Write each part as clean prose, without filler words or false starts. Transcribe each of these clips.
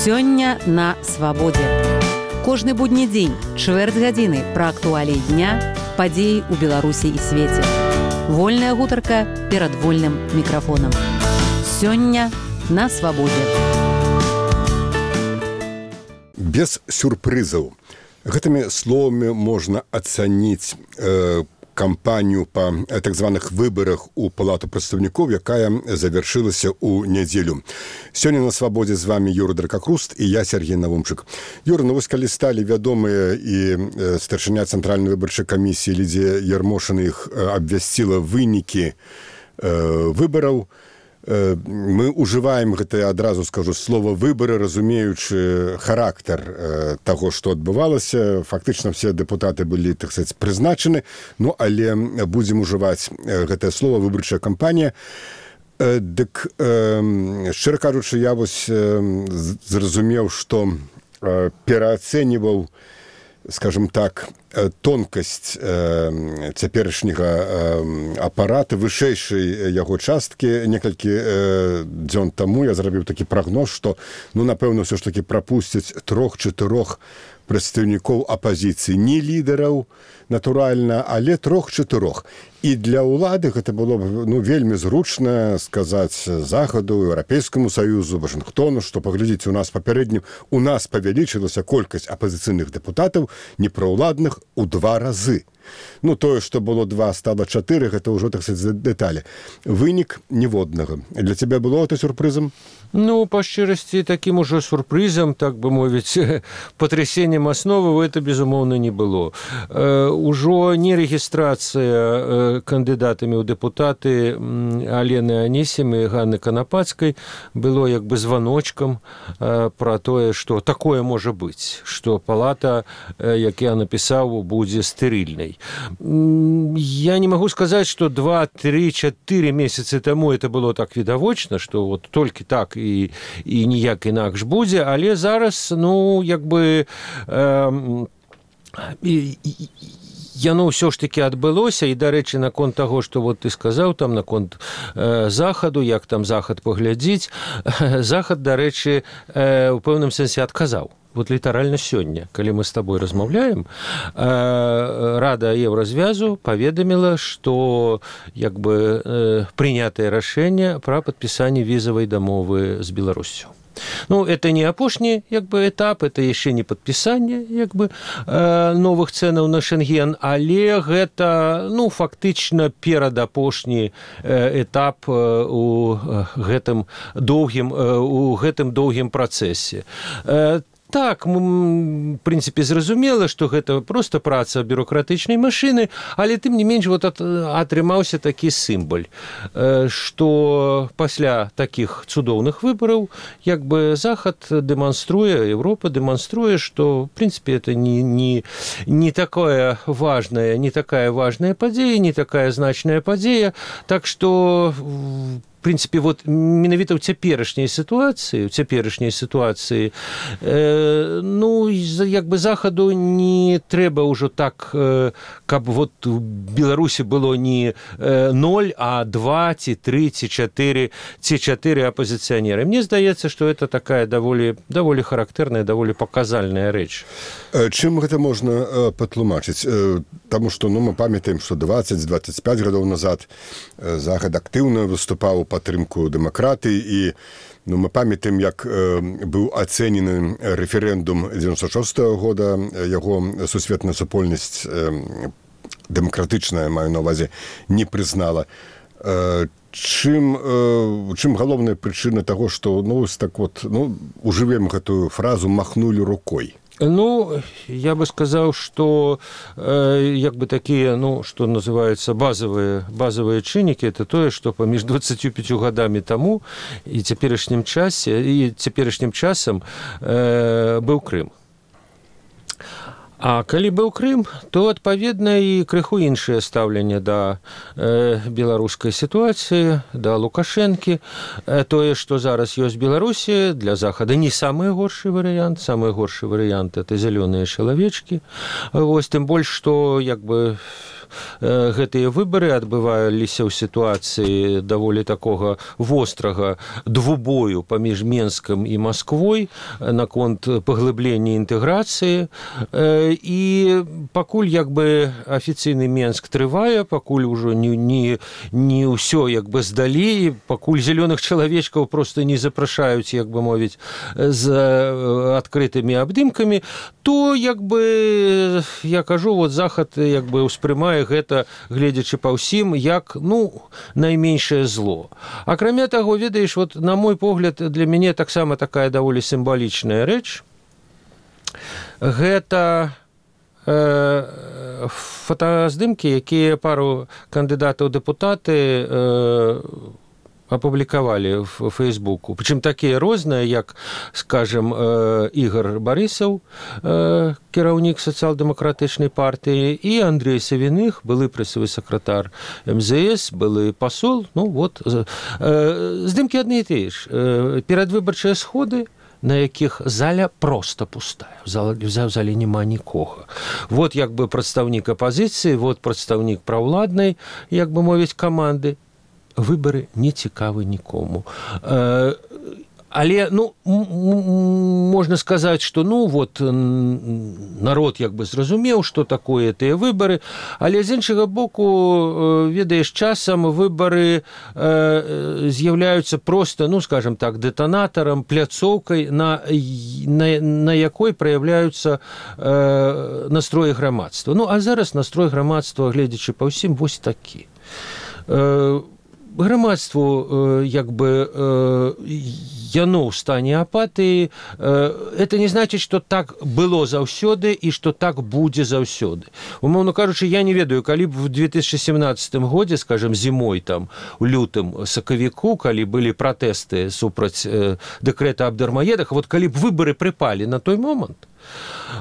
Сёння на свабодзе. Кожны будні дзень, чвэрць гадзіны пра актуаліі дня, падзеі ў Беларусі і свеце. Вольная гутарка перад вольным мікрафонам. Сёння на свабодзе. Без сюрпрызаў. Гэтымі словамі можна ацаніць кампанію па так званых выбарах у Палату прадстаўнікоў, якая завяршылася ў нядзелю. Сёння на свабодзе з вами Юрый Дракакруст і я, Сергей Навумчык. Юра, ну вось калі сталі вядомыя і старшыня Цэнтральнай выбарчай камісіі Лідзія Ярмошына іх абвясціла вынікі выбараў, мы ўжываем гэта, адразу скажу, слова выбары, разумеючы характар таго, што адбывалася. Фактычна все дэпутаты былі, так сказаць, прызначаны, ну, але будзем ужываць гэтае слово выбарчая кампанія. Дык, шчыра кажучы, я вось зразумеў, што пераацэньваў, скажем так, тонкасць цяперашняга апарата, вышэйшай яго часткі. Некалькі дзён таму я зрабіў такі прагноз, што, ну, напэўна, ўсё ж такі прапусцяць 3-4 прадстаўнікоў апазіцыі. Не лідараў, натуральна, але 3-4. І для ўлады гэта было б, ну, вельмі зручна сказаць Захаду, Еўрапейскаму Саюзу, Вашынгтону, што, паглядзіце, у нас папярэднім, у нас павялічылася колькасць апазіцыйных дэпутатаў, непраўладных, у 2 разы. Ну, тое, што было 2, стала 4, гэта ўжо, так сказаць, дэталі. Вынік ніводнага. Для цябе было гэта сюрпрызам? Ну, па шчырасці, такім ужо сюрпрызам, так бы мовіць, патрясеннем асновы это, безумоўна, не было. Ужо не рэгістрацыя кандыдатамі ў дэпутаты Алены Анісім і Ганны Канапацкай было як бы званочкам пра тое, што такое можа быць, што палата, як я напісаў, будзе стэрыльнай. Я не магу сказаць, што 2, 3, 4 месяцы таму это было так відавочна, што вот толькі так і ніяк інакш будзе, але зараз, ну, як бы яно ўсё ж такі адбылося. І, дарэчы, наконт таго, што вот ты сказаў, там наконт Захаду, як там Захад паглядзіць, Захад, дарэчы, у пэўным сэнсе адказаў. Вот літаральна сёння, калі мы з табой размаўляем, Рада Еўразвязу паведаміла, што як бы прынятае рашэнне пра падпісанне візавай дамовы з Беларуссю. Ну, это не апошні, як бы, этап, это яшчэ не падпісанне, як бы, новых цэнаў на Шэнген, але гэта, ну, фактычна перадапошні этап у гэтым доўгім працэсе. Так, в прынцыпе, зразумела, што гэта проста праца бюрократычнай машыны, але тым не менш вот атрымаўся такі сімваль, што пасля такіх цудоўных выбараў як бы Захад дэманструе, Еўропа дэманструе, што, в прынцыпе, это не такая важная падзея, не такая значная падзея, так што в прынцыпе, вот менавіта ў цяперашняй сітуацыі, ну, як бы Захаду не трэба ўжо так, каб вот у Беларусі было не 0, а 2, ці 3, ці 4 апозіцыянеры. Мне здаецца, што это такая даволі характэрная, даволі паказальная рэч. Чым гэта можна патлумачыць? Таму што, ну, мы памятаем, што 20-25 гадоў назад Захад актыўна выступаў у падтрымку дэмакратыі, і, ну, мы памятаем, як быў ацэнены рэферэндум 96-го года, яго сусветная супольнасць дэмакратычная, маю на ўвазе, не прызнала. Чым галоўная прычына таго, што, ну, так вот, ну, ужывем гэтую фразу «махнули рукой»? Ну, я бы сказал, что як бы такие, ну, что называется, базовые чыннікі, это тое, что паміж 25 годами тому и цяперашнім часам быў Крым. А калі быў Крым, то, адпаведна, і крыху іншае стаўленне да беларускай сітуацыі, да Лукашэнкі. Тое, што зараз ёсць Беларусі, для Захада не самы горшы варыянт. Самы горшы варыянт – это зялёныя чалавечкі. Вось, тым больш, што, як бы, гэтыя выбары адбываліся ў сітуацыі даволі такога вострага двубою паміж Менскам і Масквой наконт паглыблення інтэграцыі. І пакуль як бы афіцыйны Менск трывае, пакуль ужо не ўсё як бы здалі, пакуль зялёных чалавечкаў просто не запрашаюць, як бы мовіць, з адкрытымі абдымкамі, то як бы я кажу, вот Захад як бы успрымае гэта, гледзячы па ўсім, як найменшае зло. Акрамя таго, ведаеш, вот на мой погляд, для мяне таксама такая даволі сімвалічная рэч. Гэта фотаздымкі, якія пару кандыдатаў дэпутаты апублікавалі в Фейсбуку. Прычым такія розныя, як, скажем, Ігор Барысаў, кіраўнік сацыял-дэмакратычнай партыі, і Андрей Савіных, былы прэсавы сакратар МЗС, былы пасол. Здымкі адны і тыя ж. Перадвыбарчыя сходы, на якіх заля проста пустая. В зале няма нікога. Вот як бы прадстаўнік апазіцыі, вот прадстаўнік праўладнай, як бы мовіць, каманды. Выбары не цікавы нікому. Але, можна сказаць, што, народ як бы зразумеў, што такое тыя выбары, але з іншага боку, ведаеш, часам выбары з'яўляюцца проста, скажем так, дэтанатарам, пляцоўкай, на якой праяўляюцца настроі грамадства. А зараз настрой грамадства, гледзячы па ўсім, вось такі. Грамадству, як бы, яно ў стане апатыі, это не значыць, што так было заўсёды і што так будзе заўсёды. Умоўна кажучы, я не ведаю, калі б в 2017 годзе, скажем, зімой, там, у лютым, сакавіку, калі былі пратэсты супраць дэкрэта аб дармаедах, вот калі б выбары прыпалі на той момант,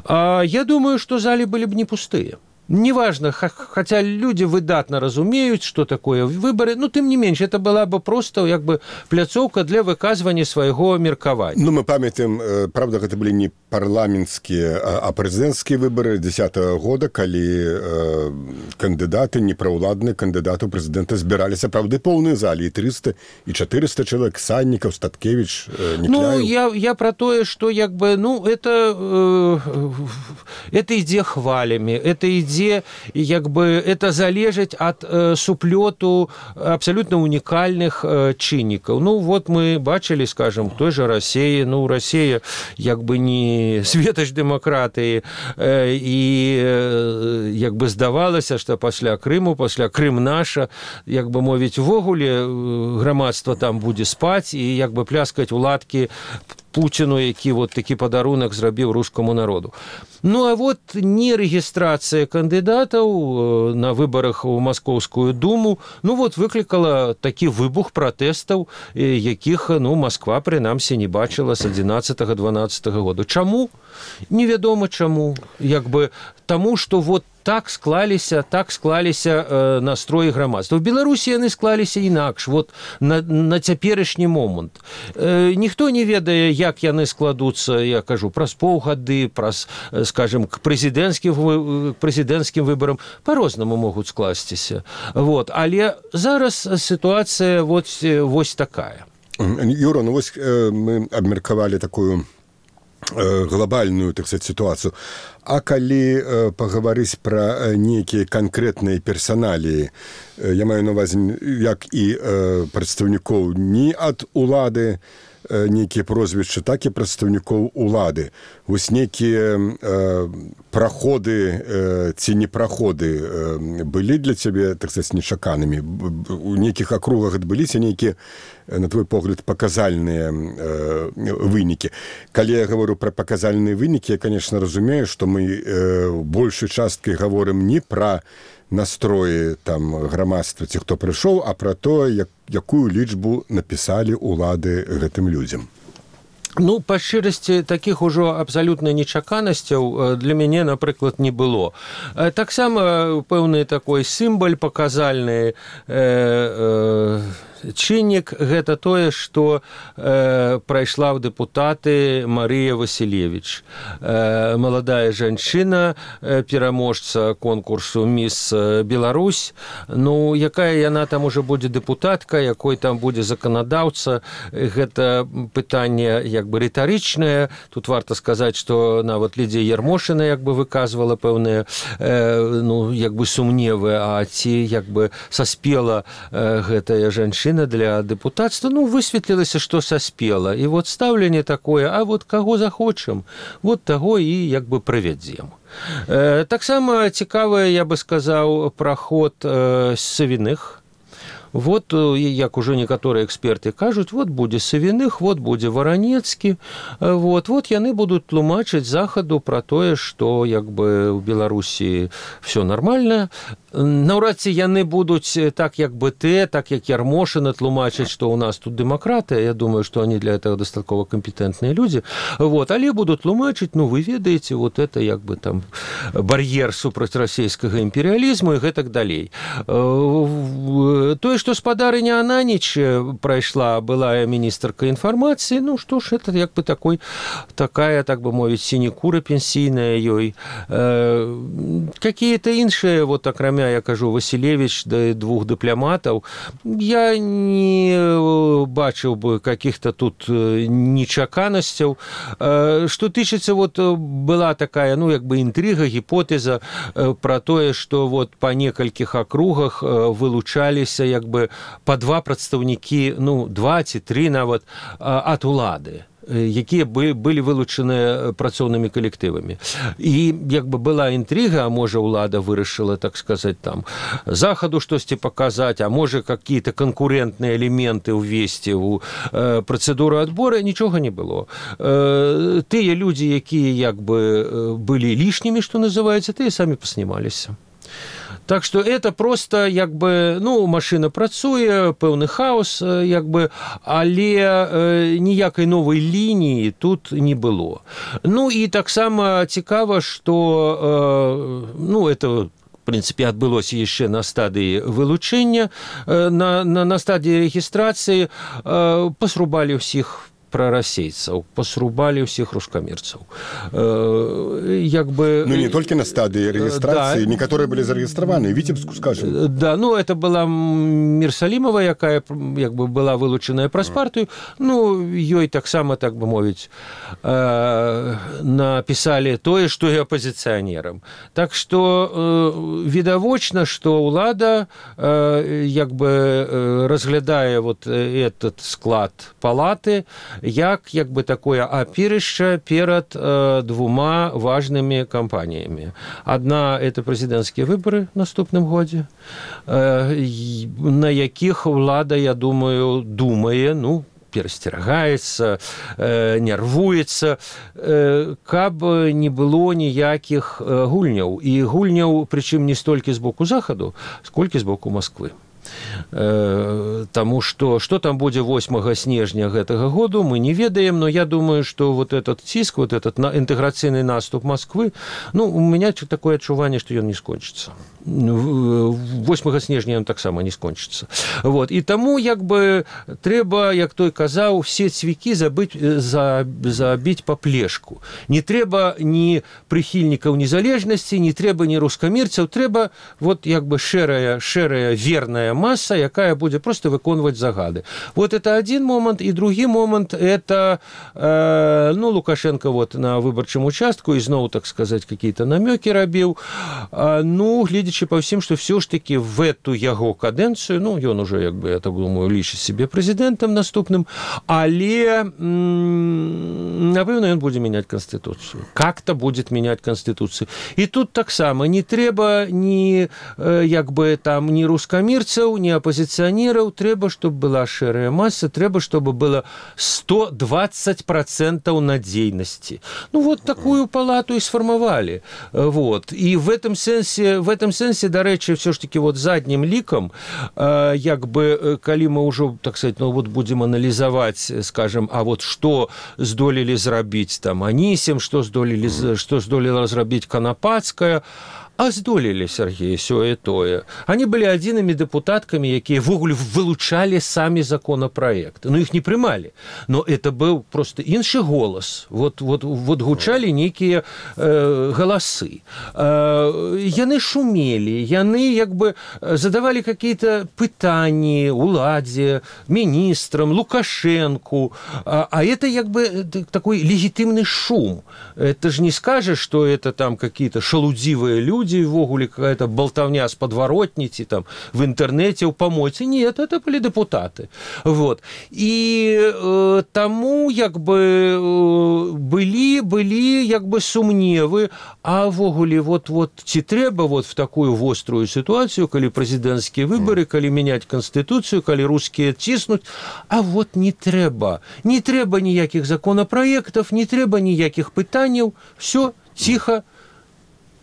я думаю, што залі былі б не пустыя. Неважно, хотя люди выдатно разумеют, что такое выборы, но тем не меньше, это была бы просто как бы пляцоўка для выказывания своего меркавання. Мы памятаем, правда, это были не парламентские, а президентские выборы 2010 года, когда кандидаты, неправладные кандидаты у президента збирались, правда, полные зали, и 300, и 400 человек, Санников, Статкевич, Никляев. Я про то, что как бы, это идея хвалями, это идея як бы это залежыць ад суплёту абсолютно унікальных чыннікаў. Вот мы бачылі, скажем, той же России, Россия як бы не светач дэмакратыі, і як бы здавалася, што пасля Крыму, пасля Крым наша, як бы мовіць, увогуле грамадства там будзе спаць і як бы пляскаць у ладкі Путіну, які вот такі падарунак зрабіў рускаму народу. А вот не рэгістрацыя кандыдатаў на выбарах у Маскоўскую думу, вот выклікала такі выбух пратэстаў, якіх, Масква, прынамсі, не бачыла з 11-12 года. Чаму? Невядома чаму. Як бы таму, што вот так склаліся настроі грамадства. В Беларусі яны склаліся інакш, вот на цяперашні момант. Ніхто не ведае, як яны складуцца, я кажу, праз паўгады, праз, скажем, к прэзідэнцкім выбарам па-рознаму могуць скласціся. Але зараз сітуацыя вось такая. Юра, мы абмеркавалі такую глобальную, так сказать, ситуацию. А калі пагаварыць пра нейкія канкрэтныя персаналіі, я маю на ўвазе як і прадстаўнікоў не ад улады, нейкія прозвішчы, так і прадстаўнікоў улады. Вось нейкія праходы ці непраходы былі для цябе, так сказать, нечаканымі? У нейкіх акругах адбыліся нейкія, на твой погляд, паказальныя вынікі. Калі я говорю пра паказальныя вынікі, я, конечно, разумею, што мы большай часткай гаворым не пра настроі там грамадства ці хто прыйшоў, а пра тое, якую лічбу напісалі улады гэтым людзям. Па шчырасці, такіх ужо абсалютна нечаканасцяў для мяне, напрыклад, не было. Таксама пэўны такой сімбаль паказальны чыннік гэта тое, што прайшла ў дэпутаты Марыя Васілевіч. Маладая жанчына, пераможца конкурсу «Міс Беларусь». Ну, якая яна там уже будзе дэпутатка, якой там будзе заканадаўца, гэта пытанне як бы рытарычнае. Тут варта сказаць, што нават Лідзія Ярмошына як бы выказвала пэўныя ну, як бы сумневы, а ці як бы саспела гэтая жанчына для дэпутацтва. Ну, высветлілася, што саспела. І вот стаўленне такое, а вот каго захочам, вот таго і як бы правядзем. Таксама цікавы, я бы сказаў, праход Савіных. Вот, як ужо некаторыя эксперты кажуць, вот будзе Савіных, вот будзе Варанецкі, вот яны будуць тлумачыць захаду пра тое, што як бы ў Беларусі все нормально. Наўрад ці яны будуць так, як БТ, так, як Ярмошына тлумачыць, што ў нас тут дэмакратыя. Я думаю, што они для этого дастаткова кампетэнтныя людзі. Вот, але будуць тлумачыць, ну, вы ведаеце, вот это як бы там бар'ер супраць расійскага імперыялізму і гэтак далей. Тое, што спадарыня Ананіч прайшла, былая міністрка інфармацыі, ну, што ж, это як бы такая, так бы мовіць, сінекура пенсійная ёй. Какие-то іншыя, вот, акрамя, я кажу, Васілевіч да двух дыпламатаў, я не бачыў бы каких-то тут нечаканасцяў. Што тычыцца, вот, была такая, ну, як бы інтрыга, гіпотэза пра тое, што вот па некалькіх акругах вылучаліся як бы па два прадстаўнікі, ну, 2 ці 3 нават ад улады, якія былі вылучаныя працоўнымі калектывамі. І як бы была інтрыга, а можа ўлада вырашыла, так сказаць, там захаду штосьці паказаць, а можа какие-то канкурентныя элементы ўвесці ў працэдуру адбора, нічога не было. Тыя людзі, якія як бы былі лішнімі, што называецца, тыя самі паснімаліся. Так что это просто як бы, ну, машина працуе, пэўны хаос, як бы, але ніякай новай лініі тут не было. Ну і таксама цікава, што, ну, это в принципе, адбылося яшчэ на стадыі вылучэння, на стадыі рэгістрацыі пасрубалі ўсіх прарасейцаў, пасрубалі ўсіх рускамірцаў. Як бы... Ну, не толькі на стадыі рэгістрацыі, да, некаторыя былі зарэгістраваны, Віцебску, скажем. Да, ну, это была Мірсалімова, якая, як бы, была вылучаная праз партыю. Ну, ёй таксама, так бы мовіць, напісалі тое, што і апазіцыянерам. Так што відавочна, што ўлада, як бы, разглядае вот этот склад палаты, як бы такое апірышча перад двума важнымі кампаніямі. Адна – это прэзідэнцкія выбары в наступным годзе, на якіх ўлада, я думаю, думае, ну, перасцерагаецца, нервуецца, каб не было ніякіх гульняў. І гульняў, прычым не столькі з боку захаду, сколькі з боку Масквы. Таму што там будзе 8 снежня гэтага году, мы не ведаем, но я думаю, што вот этот ціск, вот этот інтэграцыйны наступ Масквы, ну, у меня такое адчуванне, што ён не скончыцца. 8 снежня ён таксама не скончыцца. Вот. І таму, як бы, трэба, як той казаў, все цвікі забіць па плешку. Не трэба ні прыхільнікаў незалежнасці, не трэба ні рускамірцаў, трэба вот, як бы, шэрая, верная масса, якая будет просто выконваць загады. Вот это один момент. И другой момент, это, ну, Лукашенко вот на выборчым участку изноў, так сказать, какие-то намеки рабіў. Ну, гледзячы па ўсім, что все ж таки в эту яго кадэнцыю, ну, ён уже, як бы, я так думаю, лічыць себе президентом наступным, але, напэўна, ён будзе менять Конституцию. Как-то будет менять Конституцию. И тут таксама не трэба ни, як бы, там, ни рускамірцаў, ні апозіцыянераў, трэба, чтобы была шэрая масса, трэба, чтобы было 120% надзейнасці. Ну, вот такую палату и сфармавалі. Вот. И в этом сенсе, дарэчы, все ж таки вот заднім лікам, як бы, калі мы ўжо, так сказать, ну, вот будем анализовать, скажем, а вот что здолелі зрабіць там Анісім, что здолела зрабіць Канапацкая, А здолелі, Сергей, сёе тое. Они были адзінымі дэпутаткамі, якія ввогуле вылучалі самі законапраекты. Ну, іх не прымалі. Но это быў просто іншы голас. Вот гучалі нейкія галасы. Яны шумелі, яны як бы задавалі какие-то пытанні уладзе, міністрам, Лукашенку. А это як бы такой легітимный шум. Это же не скажешь, что это там какие-то шалудзівыя люди, ввогуле какая-то болтовня с подворотницы там в интернете, у помойцы. Нет, это были депутаты. Вот. И тому як бы были як бы сумневы, а ввогуле вот ці трэба вот в такую вострую ситуацию, калі президентские выборы, калі менять конституцию, калі русские ціснуть, а вот не трэба. Не трэба ніякіх законопроектов, не трэба ніякіх пытанняў, все тихо.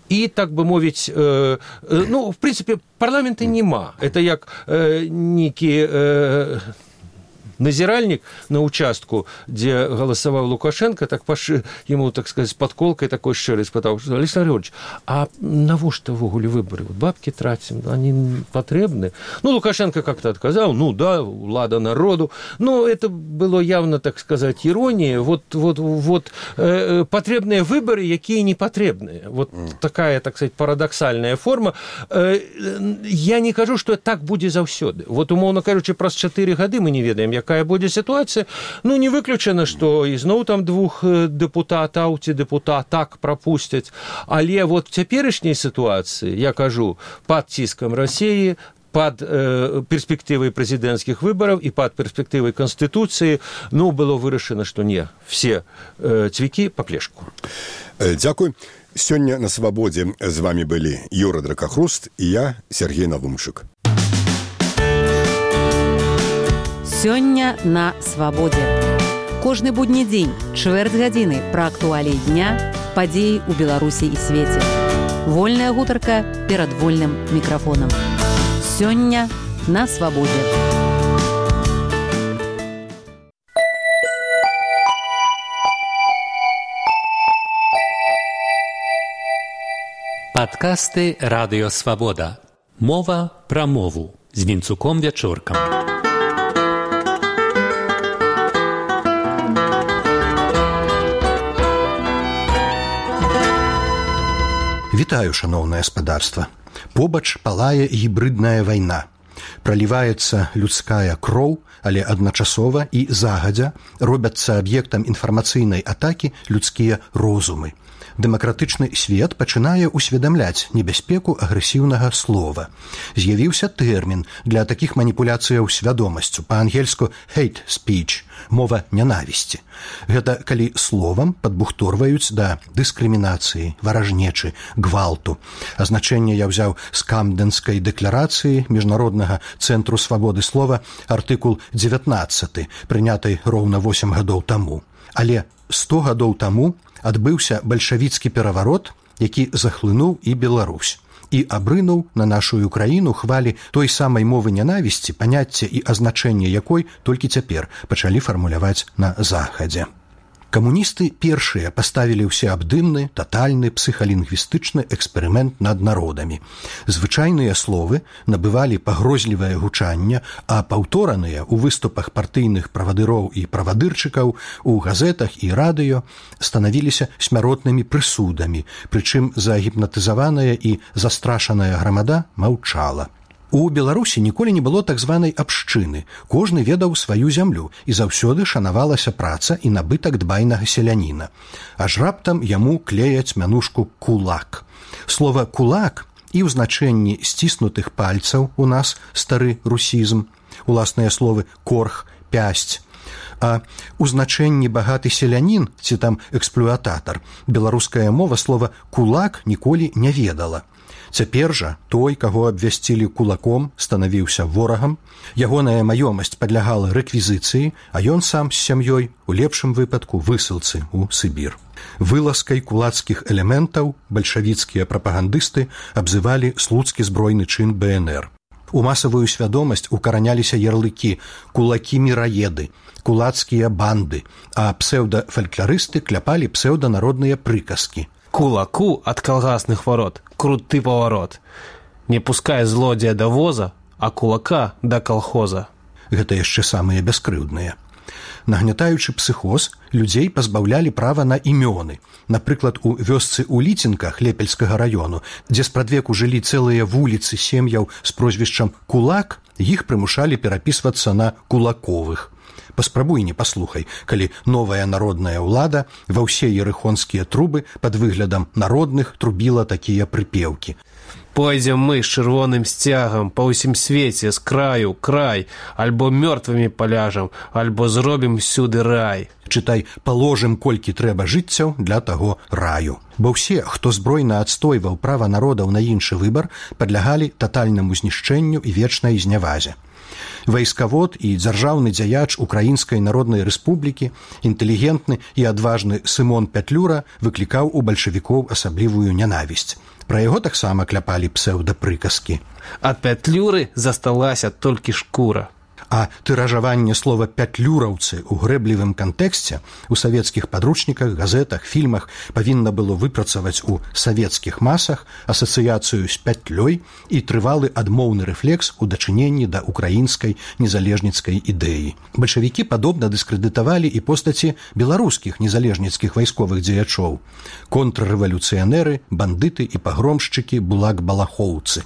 И, так бы мовить, ну, в принципе, парламента нема. Это як некий назиральник на участку, где голосовал Лукашенко, так ему, так сказать, с подколкой такой щирый спытал, что Александр Григорьевич, а навошта ввогуле выборы? Вот бабки тратим, они потребны? Ну, Лукашенко как-то отказал, ну да, влада народу. Но это было явно, так сказать, ирония. Вот потребные выборы, какие непотребные. Вот такая, так сказать, парадоксальная форма. Я не кажу, что так будет заўсёды. Вот, умоўно кажучи, праз 4 гады мы не ведаем, якая будзе ситуация. Ну, не выключана, что ізноў там 2 депутатаў ці депутатак пропустяць. Але вот в цяперашняй ситуации, я кажу, под ціскам России, под перспективой президентских выборов и под перспективой Конституции, ну, было вырашана, что не, все цвікі по плешку. Дзякуй. Сёння на свабодзе з вами былі Юра Дракахруст і я, Сергей Навумчык. Сёння на свабодзе. Кожны будні дзень, чвэрць гадзіны пра актуаліі дня, падзеі ў Беларусі і свеце. Вольная гутарка перад вольным мікрафонам. Сёння на свабодзе. Падкасты «Радыё Свабода». Мова пра мову з Вінцуком Вячоркам. Вітаю, шаноўнае гаспадарства. Побач палае гібрыдная вайна. Праліваецца людская кроў, але адначасова і загадзя робяцца аб'ектам інфармацыйнай атакі людскія розумы. Дэмакратычны свет пачынае ўсведамляць небяспеку агрэсіўнага слова. З'явіўся тэрмін для такіх маніпуляцыяў свядомасцю, па-ангельску hate speech, мова нянавісці. Гэта калі словам падбухторваюць да дыскрымінацыі, варажнечы, гвалту. Азначэнне я ўзяў з Камдэнскай дэкларацыі Міжнароднага цэнтру свабоды слова, артыкул 19, прынятай роўна 8 гадоў таму. Але 100 гадоў таму адбыўся бальшавіцкі пераварот, які захлынуў і Беларусь, і абрынуў на нашу краіну хвалі той самай мовы нянавісці, паняцце і азначэнне якой толькі цяпер пачалі фармуляваць на захадзе. Камуністы першыя паставілі ўсеабдымны, татальны псіхалінгвістычны эксперымент над народамі. Звычайныя словы набывалі пагрозлівае гучанне, а паўтораныя ў выступах партыйных правадыроў і правадырчыкаў, у газетах і радыё станавіліся смяротнымі прысудамі, прычым загіпнатызаваная і застрашаная грамада маўчала. У Беларусі ніколі не было так званай абшчыны. Кожны ведаў сваю зямлю, і заўсёды шанавалася праца і набытак дбайнага селяніна. Аж раптам яму клеяць мянушку «кулак». Слова «кулак» і ў значэнні сціснутых пальцаў у нас стары русізм, уласныя словы «корх», «пясць». А ў значэнні багаты селянін ці там эксплуататар беларуская мова слова «кулак» ніколі не ведала. Цяпер жа той, каго абвясцілі кулаком, станавіўся ворагам, ягоная маёмасць падлягала рэквізіцыі, а ён сам з сям'ёй, у лепшым выпадку, высылцы ў Сібір. Вылазкай кулацкіх элементаў бальшавіцкія прапагандысты абзывалі слуцкі збройны чын БНР. У масавую свядомасць укараняліся ярлыкі «кулакі-міраеды», «кулацкія банды», а псеўдафалькларысты кляпалі псеўданародныя прыказкі. Кулаку от колгасных ворот круты поворот. Не пускай злодзея до воза, а кулака до колхоза. Гэта яшчэ самыя бяскрыўдныя. Нагнятаючы псіхоз, людзей пазбаўлялі права на імёны. Напрыклад, у вёсцы ў Ліцінках Лепельскага раёну, дзе спрадвеку жылі цэлыя вуліцы сем'яў з прозвішчам Кулак, іх прымушалі перапісвацца на Кулаковых. Паспрабуй не паслухай, калі новая народная ўлада ва ўсе ерыхонскія трубы пад выглядам народных трубіла такія прыпеўкі. Пойдзем мы з чырвоным сцягам па ўсім свеце з краю край, альбо мёртвымі паляжам, альбо зробім всюды рай. Чытай, паложым колькі трэба жыццяў для таго раю. Бо ўсе, хто збройна адстойваў права народаў на іншы выбар, падлягалі татальнаму знішчэнню і вечнай знявазе. Вайскавод і дзяржаўны дзяяч Украінскай Народнай Рэспублікі, інтэлігентны і адважны Сымон Пятлюра выклікаў у бальшавікоў асаблівую нянавісць. Пра яго таксама кляпалі псеўдапрыказкі. Ад Пятлюры засталася толькі шкура. А тыражаванне слова «пятлюраўцы» у грэблівым кантэксце у савецкіх падручніках, газетах, фільмах павінна было выпрацаваць у савецкіх масах асацыяцыю з пятлёй і трывалы адмоўны рэфлекс у дачыненні да украінскай незалежніцкай ідэі. Бальшавікі падобна дыскрэдытавалі і постаці беларускіх незалежніцкіх вайсковых дзеячоў. Контррэвалюцыянеры, бандыты і пагромшчыкі булак-балахоўцы.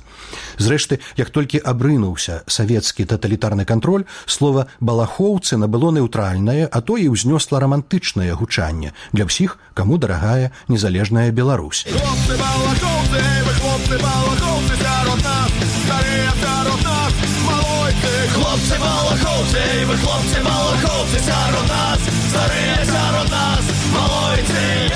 Зрэшты, як толькі абрынуўся савецкі таталітарны кантроль, слова «балахоўцы» набыло нейтральнае, а то і ўзнёсла рамантычнае гучанне для ўсіх, каму дарагая незалежная Беларусь. Хлопцы-балахоўцы, вы хлопцы-балахоўцы, сярод нас, старыя сярод нас, малойцы. Хлопцы-балахоўцы, вы хлопцы-балахоўцы, сярод нас, старыя сярод нас, малойцы.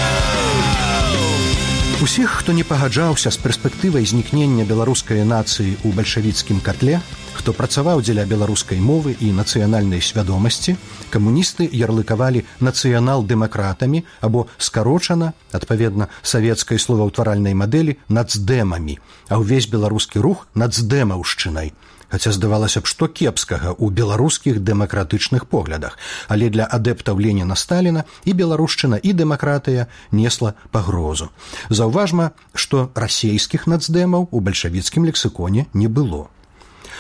Усіх, хто не пагаджаўся з перспектывай знікнення беларускай нацыі ў бальшавіцкім катле, хто працаваў дзеля беларускай мовы і нацыянальнай свядомасці, камуністы ярлыкавалі нацыянал-дэмакратамі або скарочана, адпаведна савецкай словаўтваральнай мадэлі, нацдэмамі, а ўвесь беларускі рух нацдэмаўшчынай. Хаця здавалася б, што кепскага ў беларускіх дэмакратычных поглядах, але для адэптаў Леніна-Сталіна і беларушчына, і дэмакратыя несла пагрозу. Заўважма, што расейскіх нацдэмаў у бальшавіцкім лексіконе не было.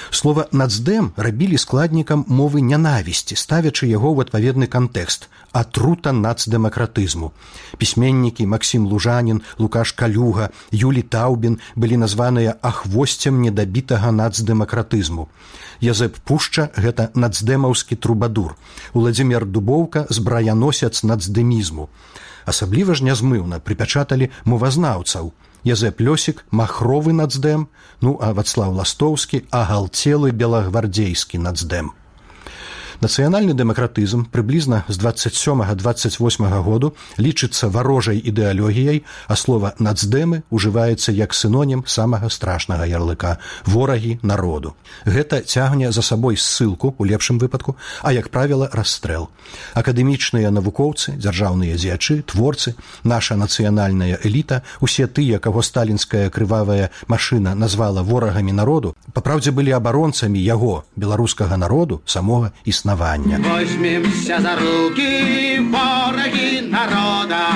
Слова «нацдэм» рабілі складнікам мовы нянавісці, ставячы яго ў адпаведны кантэкст – атрута нацдэмакратызму. Пісьменнікі Максім Лужанін, Лукаш Калюга, Юлі Таўбін былі названыя ахвосцем недабітага нацдэмакратызму. Язэп Пушча – гэта нацдэмаўскі трубадур. Уладзімір Дубоўка – збраяносец нацдэмізму. Асабліва ж нязмыўна прыпячаталі мовазнаўцаў. Язэп Лёсік – махровы нацдэм, ну а Вацлаў Ластоўскі – агалцелы белагвардзейскі нацдэм. Нацыянальны дэмакратызм прыблізна з 27-28 году лічыцца варожай ідэалогіяй, а слова «нацдэмы» ужываецца як сінонім самага страшнага ярлыка – ворагі народу. Гэта цягне за сабой ссылку, у лепшым выпадку, а, як правіла, расстрэл. Акадэмічныя навукоўцы, дзяржаўныя дзеячы, творцы, наша нацыянальная эліта, усе тыя, каго сталінская крывавая машына назвала ворагамі народу, папраўдзе былі абаронцамі яго, беларускага народу, самога існавання. Возьмемся за руки, вороги народа,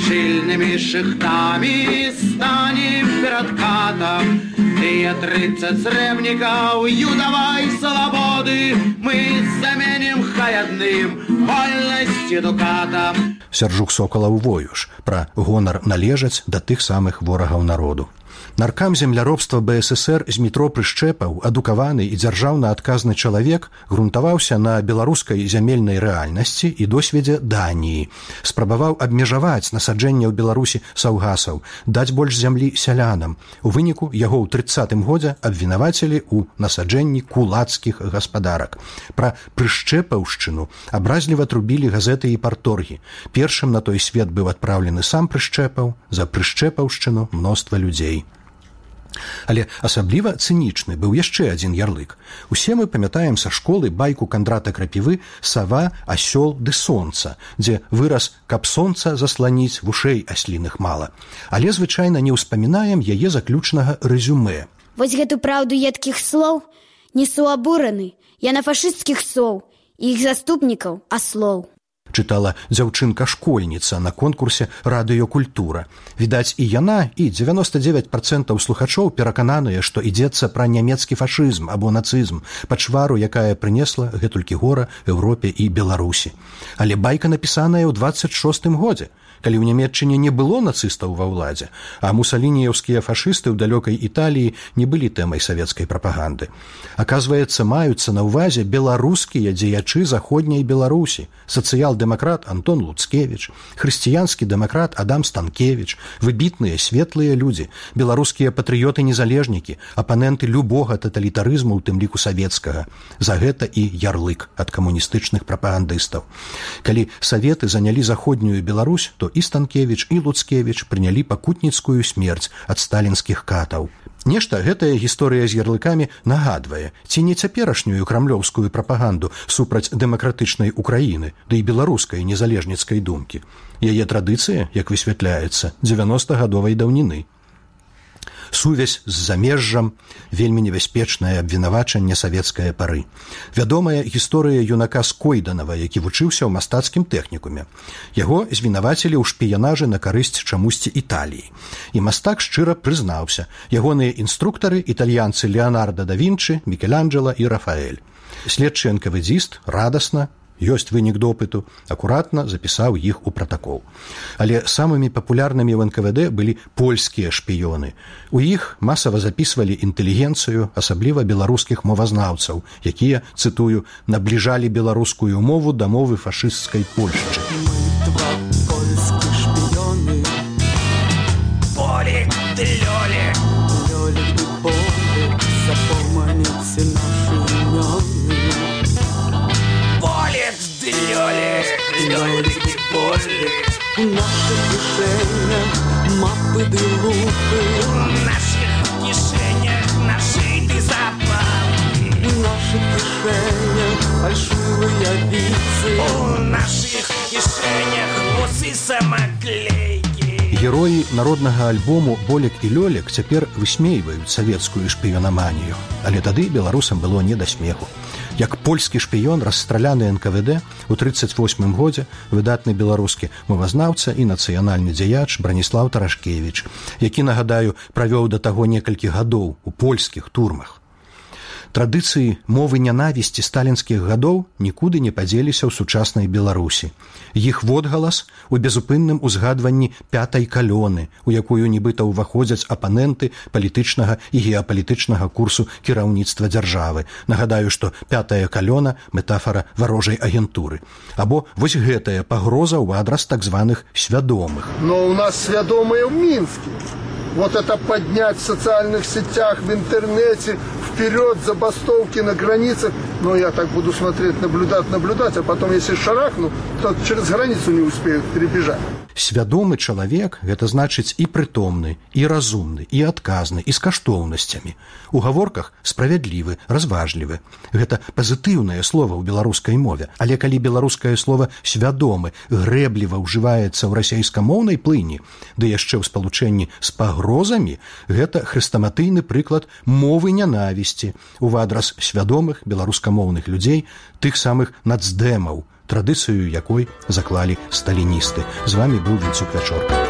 щільними шихтами станем перед катом. Тыя 30 зревников юдовой свободы мы заменим хаядным вольности дукатом. Сяржук Сокалаў воюш пра гонар належаць да тых самых ворагаў народу. Наркам земляробства БССР Змітро Прышчэпаў, адукаваны і дзяржаўна адказны чалавек, грунтаваўся на беларускай зямельнай рэальнасці і досведзе Даніі. Спрабаваў абмежаваць насаджэнне ў Беларусі саўгасаў, даць больш зямлі сялянам. У выніку яго ў 30-м годзе абвінавацілі ў насаджэнні кулацкіх гаспадарак. Пра Прышчэпаўшчыну абразліва трубілі газеты і парторгі. Першым на той свет быў адпраўлены сам Прышчэпаў, за Прышчэпаўшчыну мноства людзей. Але асабліва цынічны быў яшчэ адзін ярлык. Усе мы памятаем са школы байку Кандрата Крапівы «Сава, асёл ды сонца», дзе выраз «каб сонца засланіць, вушэй асліных мала». Але звычайна не ўспамінаем яе заключнага рэзюмэ. Вось гэту праўду едкіх слоў несу абураны. Я на фашысцкіх соў і іх заступнікаў аслоў. чытала дзяўчынка-школьніца на конкурсе «Радыёкультура». Відаць, і яна, і 99% слухачоў перакананыя, што ідзецца пра нямецкі фашызм або нацызм, пачвару, якая прынесла гэтулькі гора Еўропе і Беларусі. Але байка напісаная ў 26-м годзе, калі ў Нямецчыне не было нацыстаў ва ўладзе, а мусалініеўскія фашысты ў далёкай Італіі не былі тэмай савецкай прапаганды. Аказваецца, маюцца на ўвазе беларускія дзеячы заходняй Беларусі, сацыял-дэмакрат Антон Луцкевіч, хрысціянскі дэмакрат Адам Станкевіч, выбітныя светлыя людзі, беларускія патрыёты-незалежнікі, апаненты любога таталітарызму, у тым ліку савецкага. За гэта і ярлык ад камуністычных прапагандыстаў. Калі саветы занялі заходнюю Беларусь, то і Станкевіч, і Луцкевіч прынялі пакутніцкую смерць ад сталінскіх катаў. Нешта гэтая гісторыя з ярлыкамі нагадвае, ці не цяперашнюю крамлёўскую прапаганду супраць дэмакратычнай Украіны, ды і беларускай незалежніцкай думкі. Яе традыцыя, як высвятляецца, 90-гадовай даўніны. Сувязь з замежжам, вельмі небяспечнае абвінавачанне савецкае пары. Вядомая гісторыя юнака Скойданава, які вучыўся ў мастацкім тэхнікуме. Яго звінавацілі ў шпіянажы на карысць чамусьці Італіі. І мастак шчыра прызнаўся. Ягоныя інструктары – італьянцы Леонардо да Вінчы, Мікеланджела і Рафаэль. Следчы НКВДзіст радасна, ёсць вынік допыту, акуратна запісаў іх у пратакол. Але самымі папулярнымі ў НКВД былі польскія шпіёны. У іх масава запісвалі інтэлігенцыю, асабліва беларускіх мовазнаўцаў, якія, цытую, набліжалі беларускую мову да мовы фашысцкай Польшчы. Два польскіх шпіёны. Полік ды лёлік. Лёлік ды полік, запоманіце нашы імёны. Лёлик и Полик. У наших кишенях мапы ды лупы. У наших кишенях нашиты запалы. У наших кишенях фальшивые вицы. У наших кишенях усы самоклейки. Героі народнага альбому «Болік і Лёлік» цяпер высмейваюць савецкую шпіёнаманію, але тады беларусам было не да смеху. Як польскі шпіён, расстраляны НКВД у 1938 годзе выдатны беларускі мовазнаўца і нацыянальны дзеяч Браніслаў Тарашкевіч, які, нагадаю, правёў да таго некалькі гадоў у польскіх турмах. Традыцыі мовы нянавісці сталінскіх гадоў нікуды не падзеліся ў сучаснай Беларусі. Іх водгалас у безупынным узгадванні пятай калёны, у якую нібыта ўваходзяць апаненты палітычнага і геапалітычнага курсу кіраўніцтва дзяржавы. Нагадаю, што пятая калёна – метафора варожай агентуры. Або вось гэтая пагроза ў адрас так званых свядомых. Но у нас свядомыя ў Мінске. Вот это поднять в социальных сетях, в интернете, вперед, забастовки на границах. Ну, я так буду смотреть, наблюдать, а потом, если шарахну, то через границу не успеют перебежать. Свядомы чалавек – гэта значыць і прытомны, і разумны, і адказны, і з каштоўнасцямі. У гаворках справядлівы, разважлівы. Гэта пазітыўнае слова ў беларускай мове. Але калі беларускае слова «свядомы» грэбліва ўжываецца ў расейскамоўнай плыні, ды яшчэ ў спалучэнні з пагрозамі, гэта хрэстаматыйны прыклад мовы нянавісці ў адрас свядомых беларускамоўных людзей, тых самых нацдэмаў, традыцыю якой заклалі сталіністы. З вамі быў Вінцук Вячорка.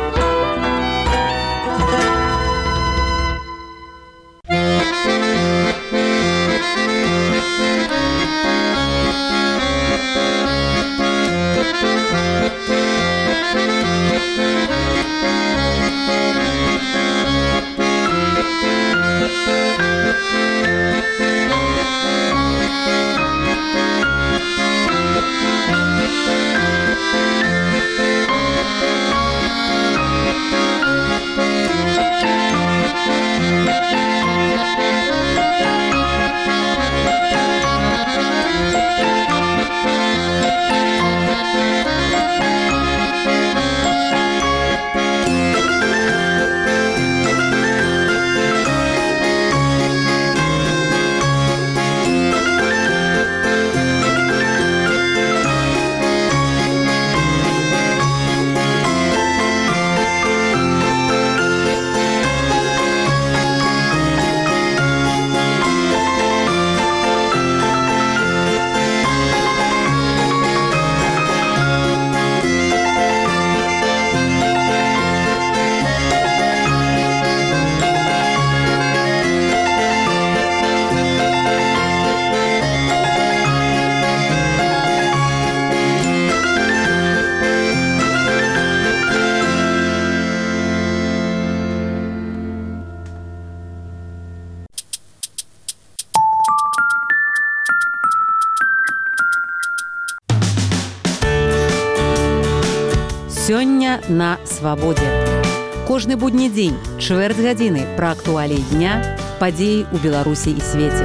Сёння на свабодзе. Кожны будні дзень, чвэрць гадзіны пра актуаліі дня, падзеі ў Беларусі і свеце.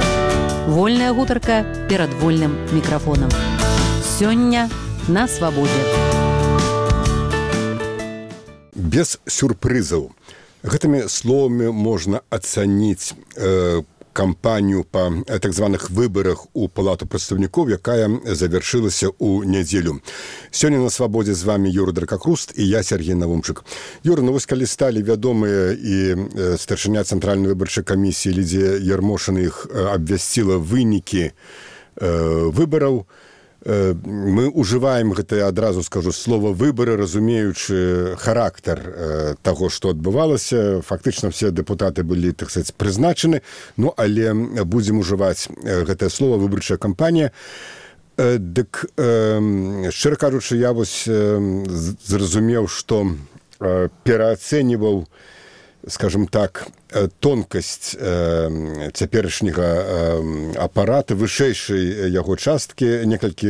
Вольная гутарка перад вольным мікрафонам. Сёння на свабодзе. Без сюрпрызаў. Гэтымі словамі можна ацаніць кампанію па так званых выбарах у палату прадстаўнікоў, якая завяршылася ў нядзелю. Сёння на свабодзе з вами Юрый Дракакруст і я, Сергей Навумчык. Юра, ну вось калі сталі вядомыя і старшыня Цэнтральнай выбарчай камісіі Лідзія Ярмошына іх абвясціла вынікі выбараў, мы ўжываем гэта, адразу скажу, слова выбары, разумеючы характар таго, што адбывалася. Фактычна все дэпутаты былі, так сказаць, прызначаны, ну, але будзем ужываць гэтае слово выбарчая кампанія. Дык, шчыра кажучы, я вось зразумеў, што пераацэньваў, скажем так, тонкасць цяперашняга апарата, вышэйшай яго часткі. Некалькі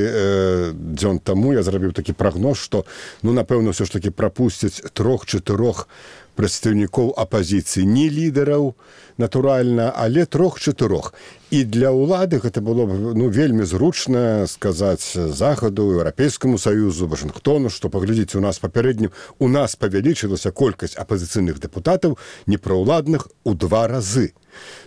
дзён таму я зрабіў такі прагноз, што, ну, напэўна, ўсё ж такі прапусцяць 3-4 прадстаўнікоў апазіцыі. Не лідараў, натуральна, але 3-4. І для ўлады гэта было б, ну, вельмі зручна сказаць Захаду, Еўрапейскаму Саюзу, Вашынгтону, што, паглядзіце, у нас папярэднім, у нас павялічылася колькасць апазіцыйных дэпутатаў, непраўладных, у 2 разы.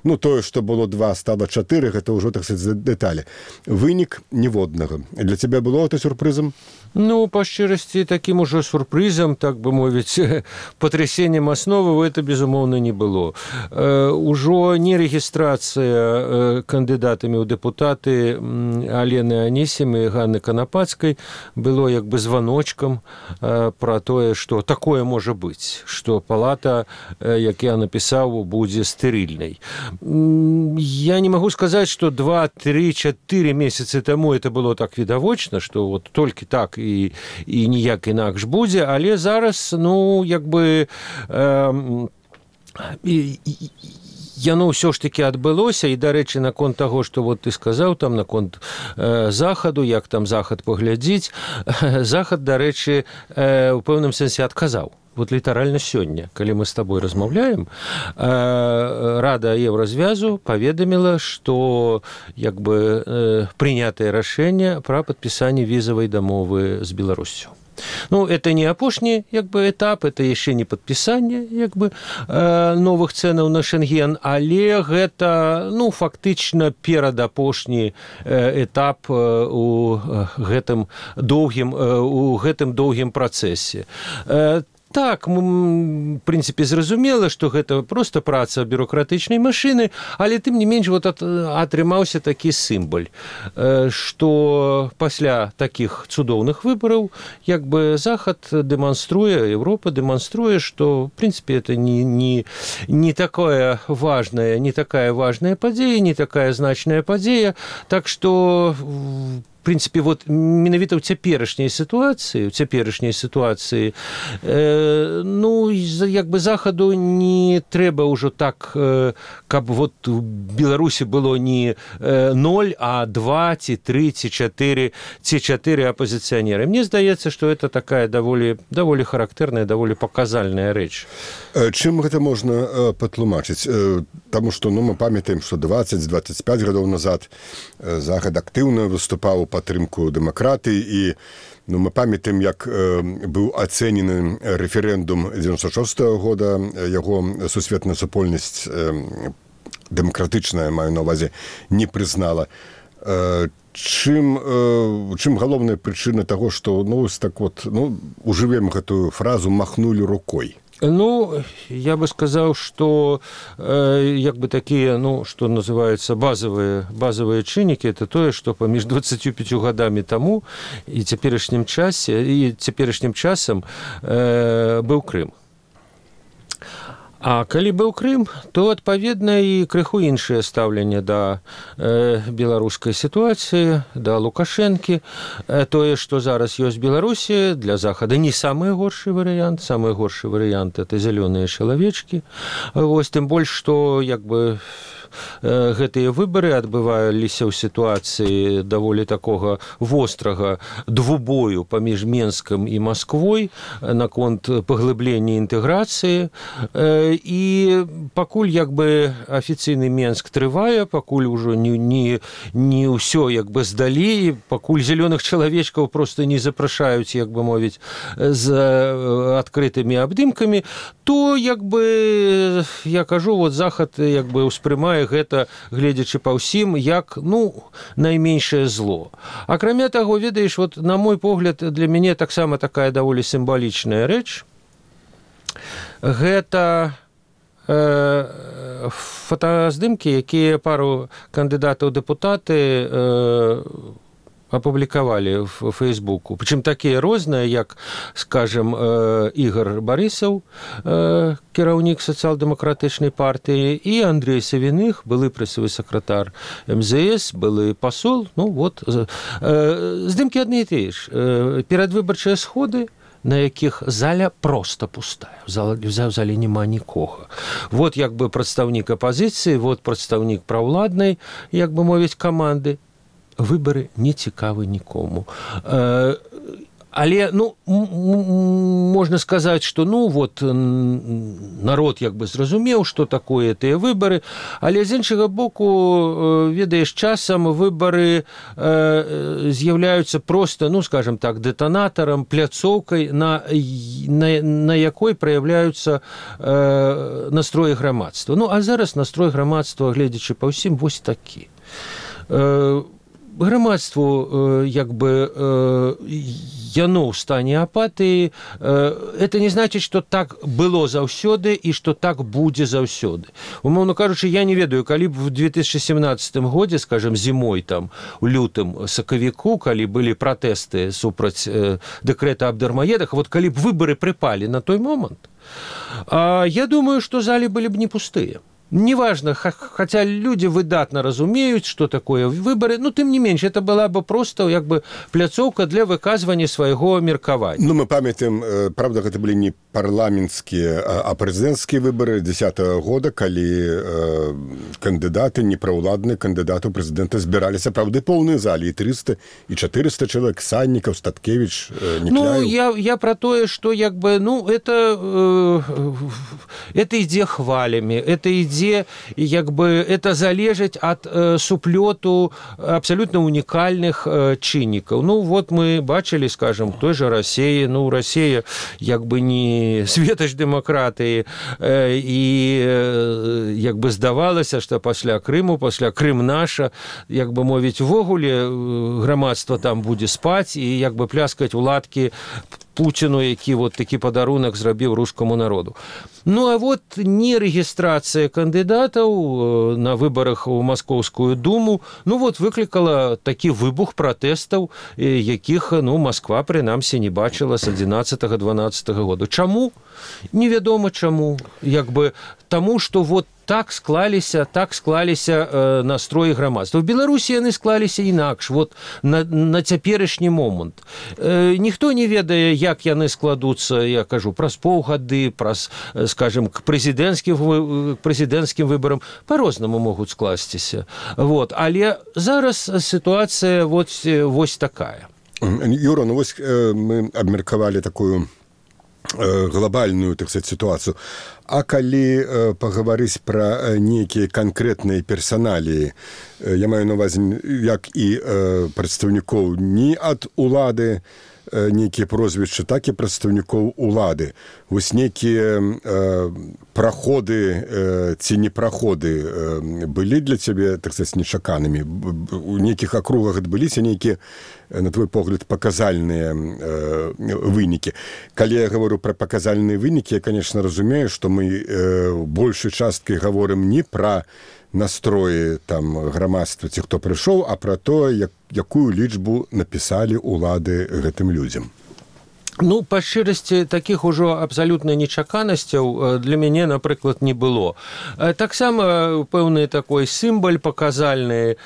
Ну, тое, што было 2, стала 4, гэта ўжо, так сказаць, дэталі. Вынік ніводнага. Для цябе было гэта сюрпрызам? Ну, па шчырасці, такім ужо сюрпрызам, так бы мовіць, патрясеннем асновы гэта, безумоўна, не было. Ужо не рэгістрацыя кандыдатамі ў дэпутаты Алены Анісімы і Ганны Канапацкай было як бы званочкам пра тое, што такое можа быць, што палата, як я напісаў, будзе стэрыльнай. Я не магу сказаць, што 2, 3, 4 месяцы таму это было так відавочна, што вот толькі так і ніяк інакш будзе, але зараз, ну, як бы яно ўсё ж такі адбылося. І, дарэчы, наконт таго, што вот ты сказаў там наконт захаду, як там захад паглядзіць, захад, дарэчы, у пэўным сэнсе адказаў. Вот літаральна сёння, калі мы з табой размаўляем, Рада Еўразвязу паведаміла, што як бы прынятае рашэнне пра падпісанне візавай дамовы з Беларуссю. Ну, это не апошні, як бы, этап, это яшчэ не падпісанне, як бы, новых цэнаў на Шенген, але гэта, ну, фактычна перадапошні этап у гэтым доўгім працэсе. Так, в прынцыпе, зразумела, што гэта проста праца бюрократычнай машыны, але тым не менш вот атрымаўся такі сімбаль, што пасля такіх цудоўных выбараў як бы Захад дэманструе, Еўропа дэманструе, што, в прынцыпе, это не такая важная падзея, не такая значная падзея, так што в прынцыпе, вот менавіта ў цяперашняй сітуацыі, ну, як бы Захаду не трэба ўжо так, каб вот у Беларусі было не 0, а 2, ці 3, ці 4 апозіцыянеры. Мне здаецца, што это такая даволі характэрная, даволі паказальная рэч. Чым гэта можна патлумачыць? Таму што, ну, мы памятаем, што 20-25 гадоў назад Захад актыўна выступаў у падтрымку дэмакратыі, і, ну, мы памятаем, як быў ацэнены рэферэндум 96-го года, яго сусветная супольнасць дэмакратычная, маю на ўвазе, не прызнала. Чым галоўная прычына таго, што, ну, так вот, ну, ужывем гэтую фразу «махнули рукой»? Ну, я бы сказал, что як бы такие, ну, что называется, базовые чыннікі, это тое, что паміж 25 годами тому и цяперашнім часам быў Крым. А калі быў Крым, то, адпаведна, і крыху іншае стаўленне да беларускай сітуацыі, да Лукашэнкі. Тое, што зараз ёсць Беларусі, для Захада не самы горшы варыянт. Самы горшы варыянт – это зялёныя чалавечкі. Вось, тым больш, што, як бы, гэтыя выбары адбываліся ў сітуацыі даволі такога вострага двубою паміж Менскам і Масквой наконт паглыблення інтэграцыі. І пакуль як бы афіцыйны Менск трывае, пакуль ужо не ўсё як бы здалі, пакуль зялёных чалавечкаў просто не запрашаюць, як бы мовіць, з адкрытымі абдымкамі, то як бы я кажу, вот Захад як бы ўспрымае гэта, гледзячы па ўсім, як найменшае зло. Акрамя таго, ведаеш, вот на мой погляд, для мяне таксама такая даволі сімвалічная рэч. Гэта фотаздымкі, якія пару кандыдатаў дэпутаты апублікавалі в Фейсбуку. Прычым такія розныя, як, скажем, Ігор Барысаў, кіраўнік сацыял-дэмакратычнай партыі, і Андрей Савіных, былы прэсавы сакратар МЗС, былы пасол. Здымкі адны і тыя ж. Перадвыбарчыя сходы, на якіх заля проста пустая. В зале няма нікога. Вот як бы прадстаўнік апазіцыі, вот прадстаўнік праўладнай, як бы мовіць, каманды. Выбары не цікавы нікому. Але, можна сказаць, што, народ як бы зразумеў, што такое тыя выбары, але з іншага боку, ведаеш, часам выбары з'яўляюцца проста, скажем так, дэтанатарам, пляцоўкай, на якой праяўляюцца настроі грамадства. А зараз настрой грамадства, гледзячы па ўсім, вось такі. Грамадству, як бы, яно ў стане апатыі, это не значыць, што так было заўсёды і што так будзе заўсёды. Умоўна кажучы, я не ведаю, калі б в 2017 годзе, скажем, зімой, там, у лютым, сакавіку, калі былі пратэсты супраць дэкрэта аб дармаедах, вот калі б выбары прыпалі на той момант, я думаю, што залі былі б не пустыя. Неважно, хотя люди выдатно разумеют, что такое выборы, но тем не меньше, это была бы просто как бы пляцоўка для выказывания своего меркавання. Мы памятаем, правда, это были не парламентские, а президентские выборы 2010 года, калі кандидаты, неправоладные кандидаты у президента збирались, правда, полные зали, и 300, и 400 человек, Санников, Статкевич, Никляев. Я про то, что как бы, это идея хвалями, это идея, як бы, это залежыць ад суплёту абсолютно унікальных чыннікаў. Вот мы бачылі, скажем, той же России, Россия як бы не светач дэмакратыі, і як бы здавалася, што пасля Крыму, пасля Крым наша, як бы мовіць, увогуле грамадства там будзе спаць і як бы пляскаць у ладкі Путіну, які вот такі падарунак зрабіў рускаму народу. А вот не рэгістрацыя кандыдатаў на выбарах у Маскоўскую думу, вот выклікала такі выбух пратэстаў, якіх, Масква, прынамсі, не бачыла з 11-12 году. Чаму? Невядома чаму. Як бы таму, што вот так склаліся настроі грамадства. В Беларусі яны склаліся інакш, вот на цяперашні момант. Ніхто не ведае, як яны складуцца, я кажу, праз паўгады, праз, скажем, к прэзідэнцкім выбарам, па-рознаму могуць скласціся. Але зараз сітуацыя вось такая. Юра, вось мы абмеркавалі такую глобальную, так сказать, ситуацию. А калі пагаварыць пра нейкія канкрэтныя персаналіі, я маю на увазе як і прадстаўнікоў не ад улады, нейкія прозвішчы, так і прадстаўнікоў улады. Вось нейкія праходы ці непраходы былі для цябе, так сказать, нечаканымі? У нейкіх акругах адбыліся нейкія, на твой погляд, паказальныя вынікі. Калі я говорю пра паказальныя вынікі, я, конечно, разумею, што мы большай часткай гаворым не пра настроі там грамадства ці хто прыйшоў, а пра то, якую лічбу напісалі улады гэтым людзям. Па шчырасці, такіх ужо абсалютна нечаканасцяў для мяне, напрыклад, не было. Таксама пэўны такой сімбаль паказальны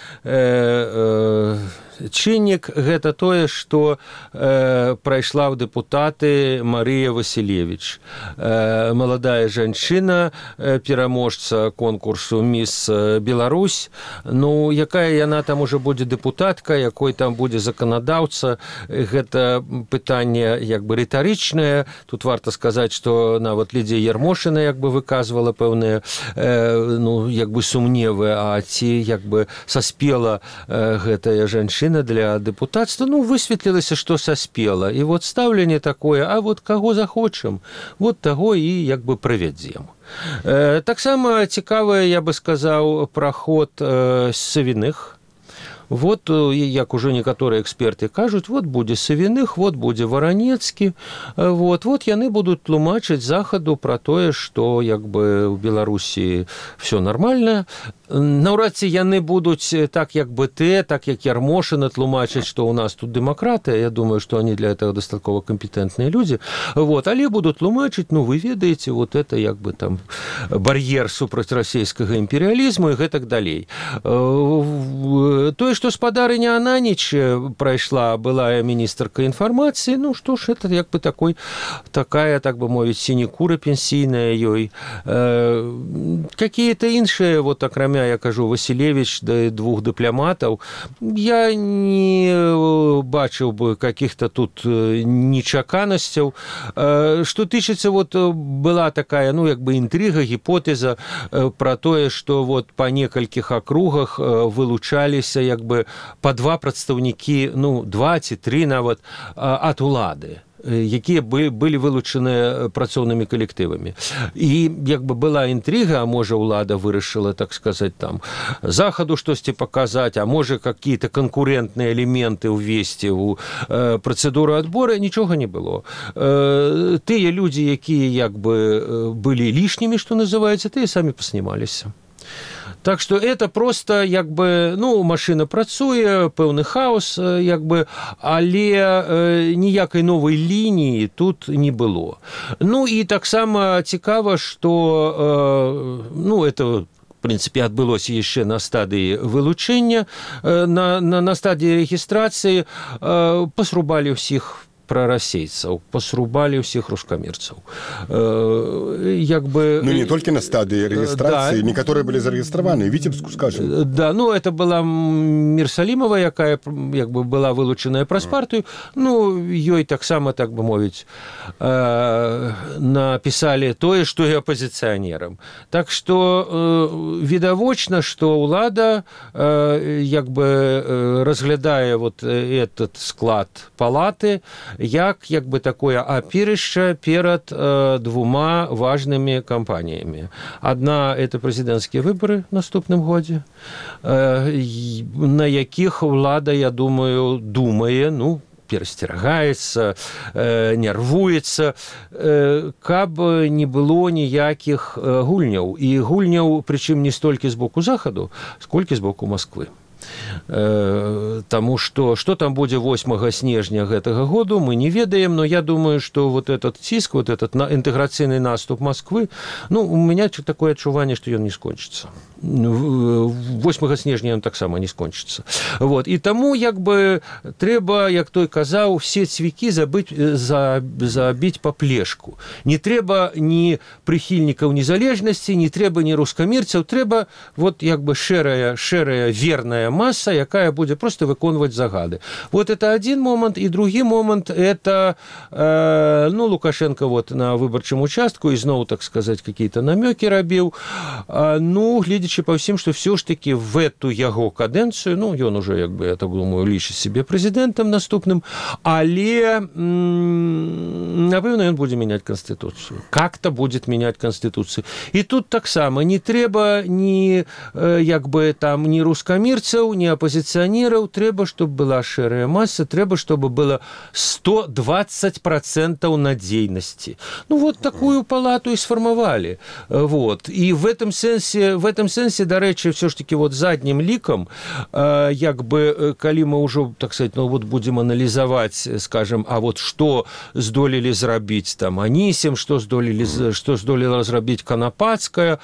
чыннік гэта тое, што прайшла ў дэпутаты Марыя Васілевіч, маладая жанчына, пераможца конкурсу «Міс Беларусь». Ну, якая яна там уже будзе дэпутатка, якой там будзе заканадаўца, гэта пытанне як бы рытарычнае. Тут варта сказаць, што нават Лідзія Ярмошына як бы выказвала пэўныя ну, як бы сумневы, а ці як бы саспела гэтая жанчына для дэпутацтва. Ну, высветлілася, што саспела. І вот стаўленне такое, а вот каго захочам, вот таго і як бы правядзем. Таксама цікавая, я бы сказаў, праход Савіных. Вот, як уже некаторыя эксперты кажуць, вот будзе Савіных, вот будзе Варанецкі, вот яны будуць тлумачыць захаду пра тое, што як бы ў Беларусі все нормально. Наўрад ці яны будуць так як БТ, так як Ярмошына тлумачыць, што ў нас тут дэмакратыя. Я думаю, што они для этого дастаткова кампетэнтныя людзі. Вот, але будуць тлумачыць, ну вы ведаеце, вот это як бы там бар'ер супраць расійскага імперыялізму і гэтак далей. Тое, што спадарыня Ананіч прайшла, былая міністрка інфармацыі, ну што ж, это як бы такая, так бы мовіць, сінекура пенсійная ёй. Какие-то іншыя, вот акрамя, я кажу, Васілевіч, да двух дыпламатаў, я не бачыў бы каких-то тут нечаканасцяў. Што тычыцца, вот была такая, ну, як бы інтрыга, гіпотэза пра тое, што вот па некалькіх акругах вылучаліся як бы па два прадстаўнікі, ну, 2 ці 3 нават ад улады, якія былі вылучаныя працоўнымі калектывамі. І як бы была інтрыга, а можа ўлада вырашыла, так сказаць, там захаду штосьці паказаць, а можа какие-то канкурентныя элементы ўвесці ў працэдуру адбора, нічога не было. Тыя людзі, якія як бы былі лішнімі, што называецца, тыя самі паснімаліся. Так что это просто як бы, ну, машина працуе, пэўны хаос, як бы, але ніякай новай лініі тут не было. Ну і таксама цікава, што, ну, это в принципе адбылося яшчэ на стадыі вылучэння, на стадыі рэгістрацыі пасрубалі ўсіх прарасейцаў, пасрубалі ўсіх рускамірцаў. Як бы... Ну, не толькі на стадыі рэгістрацыі, да, некаторыя былі зарэгістраваны, Віцебску, скажем. Да, ну, это была Мірсалімова, якая, як бы, была вылучаная праз партыю, ну, ёй таксама, так бы мовіць, напісалі тое, што і апазіцыянерам. Так што відавочна, што ўлада, як бы, разглядае вот этот склад палаты, як бы такое апірышча перад двума важнымі кампаніямі. Адна – это прэзідэнцкія выбары в наступным годзе, на якіх ўлада, я думаю, думае, ну, перасцерагаецца, нервуецца, каб не было ніякіх гульняў. І гульняў, прычым не столькі з боку захаду, сколькі з боку Масквы. Таму што там будзе 8 снежня гэтага году, мы не ведаем, но я думаю, што вот этот ціск, вот этот інтэграцыйны наступ Масквы, ну, у меня такое адчуванне, што ён не скончыцца. 8 снежня ён таксама не скончыцца. Вот. І таму, як бы, трэба, як той казаў, все цвікі забіць па плешку. Не трэба ні прыхільнікаў незалежнасці, не трэба ні рускамірцаў, трэба вот, як бы, шэрая, верная масса, якая будзе просто выконваць загады. Вот это один момент, и другі момент, это, ну, Лукашенко вот на выбарчым участку ізноў, так сказать, какие-то намёкі рабіў, ну, гледзячы па ўсім, што все ж таки в эту яго кадэнцыю, ну, ён уже, як бы, я так думаю, лічыць себе прэзідэнтам наступным, але, напэўна, ён будзе мяняць Конституцию. Как-то будет менять Конституцию. И тут таксама не трэба ні, як бы, там, ні рускамірцаў, ні апозіцыянераў, трэба, чтобы была шэрая масса, трэба, чтобы было 120% надзейнасці. Ну, вот такую палату и сфармавалі. Вот. И в этом сэнсе, дарэчы, все ж таки вот заднім лікам, як бы, калі мы ўжо, так сказать, ну, вот будем аналізаваць, скажем, а вот што здолелі зрабіць там Анісім, што здолела зрабіць Канапацкая,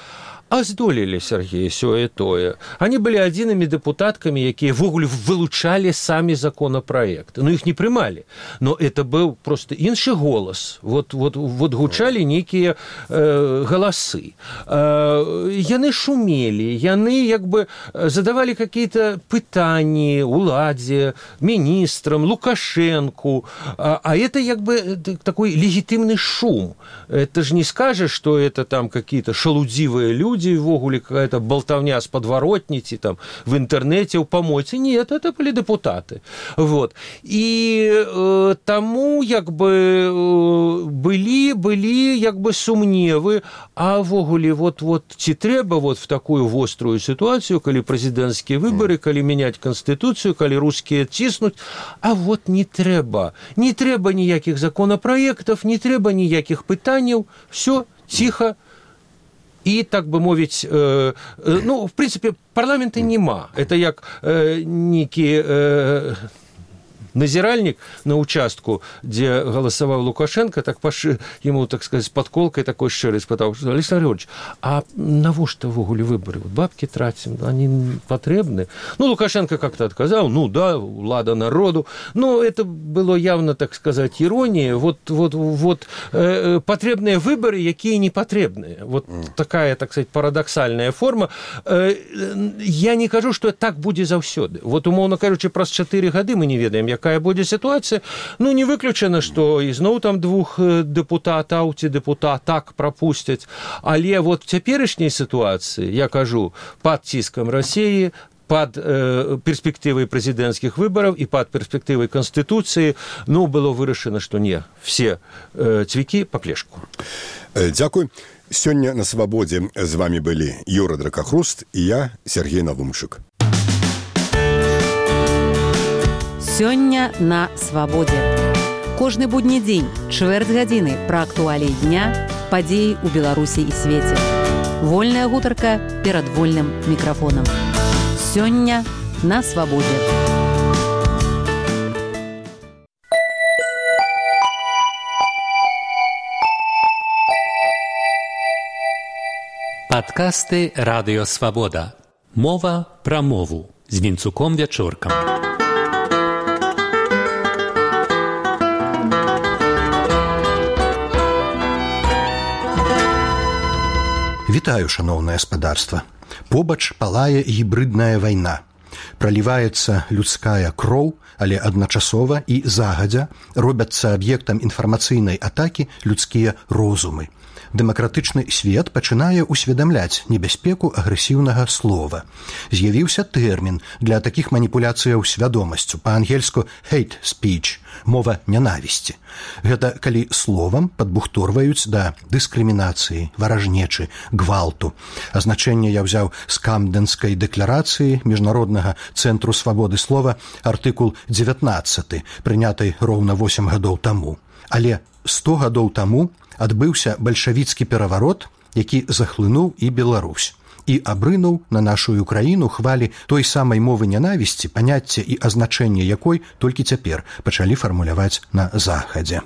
А здолелі, Сергей, сёе тое. Они были адзінымі дэпутаткамі, якія ввогуле вылучалі самі законапраекты. Ну, іх не прымалі. Но это быў просто іншы голас. Вот гучалі нейкія галасы. Яны шумелі, яны як бы задавали какие-то пытанні уладзе, міністрам, Лукашенку. А это як бы такой легитимный шум. Это же не скажешь, что это там какие-то шалудзивые люди, ввогуле какая-то болтовня с подворотницы там в интернете, у помойцы. Нет, это были депутаты. Вот. И тому як бы были як бы сумневы, а ввогуле вот ці трэба вот в такую вострую ситуацию, калі президентские выборы, калі менять конституцию, калі русские ціснуть, а вот не трэба. Не трэба ніякіх законопроектов, не трэба ніякіх пытанняў, все тихо. И, так бы мовить, ну, в принципе, парламента нема. Это як некий назиральник на участку, где голосовал Лукашенко, так ему, так сказать, с подколкой такой шчырай спытаў: Александр Григорьевич, а навошта ввогуле выборы? Вот бабки тратим, они потребны? Ну, Лукашенко как-то отказал, ну да, влада народу. Но это было явно, так сказать, ирония. Вот потребные выборы, якія не потребные. Вот такая, так сказать, парадоксальная форма. Я не кажу, что так будзе заўсёды. Вот, умоўно кажучы, праз 4 гады мы не ведаем, якая будзе ситуация. Ну, не выключана, что ізноў там 2 депутатаў ці депутатак пропустяць. Але вот в цяперашняй ситуации, я кажу, под ціскам России, под перспективой президентских выборов и под перспективой Конституции, ну, было вырашана, что не, все цвікі по клешку. Дзякуй. Сёння на свабодзе з вами былі Юра Дракахруст і я, Сергей Навумчык. Сёння на свабодзе. Кожны будні дзень, чвэрць гадзіны пра актуаліі дня, падзеі ў Беларусі і свеце. Вольная гутарка перад вольным мікрафонам. Сёння на свабодзе. Падкасты Радыё Свабода. Мова пра мову з Вінцуком Вячоркам. Вітаю, шаноўнае спадарства. Побач палае гібрыдная вайна. Праліваецца людская кроў, але адначасова і загадзя робяцца аб'ектам інфармацыйнай атакі людскія розумы. Дэмакратычны свет пачынае ўсведамляць небяспеку агрэсіўнага слова. З'явіўся тэрмін для такіх маніпуляцыяў свядомасцю, па-ангельску hate speech, мова нянавісці. Гэта калі словам падбухторваюць да дыскрымінацыі, варажнечы, гвалту. Азначэнне я ўзяў з Камдэнскай дэкларацыі Міжнароднага цэнтру свабоды слова, артыкул 19, прынятай роўна 8 гадоў таму. Але 100 гадоў таму адбыўся бальшавіцкі пераварот, які захлынуў і Беларусь, і абрынуў на нашу краіну хвалі той самай мовы нянавісці, паняцце і азначэнне якой толькі цяпер пачалі фармуляваць на захадзе.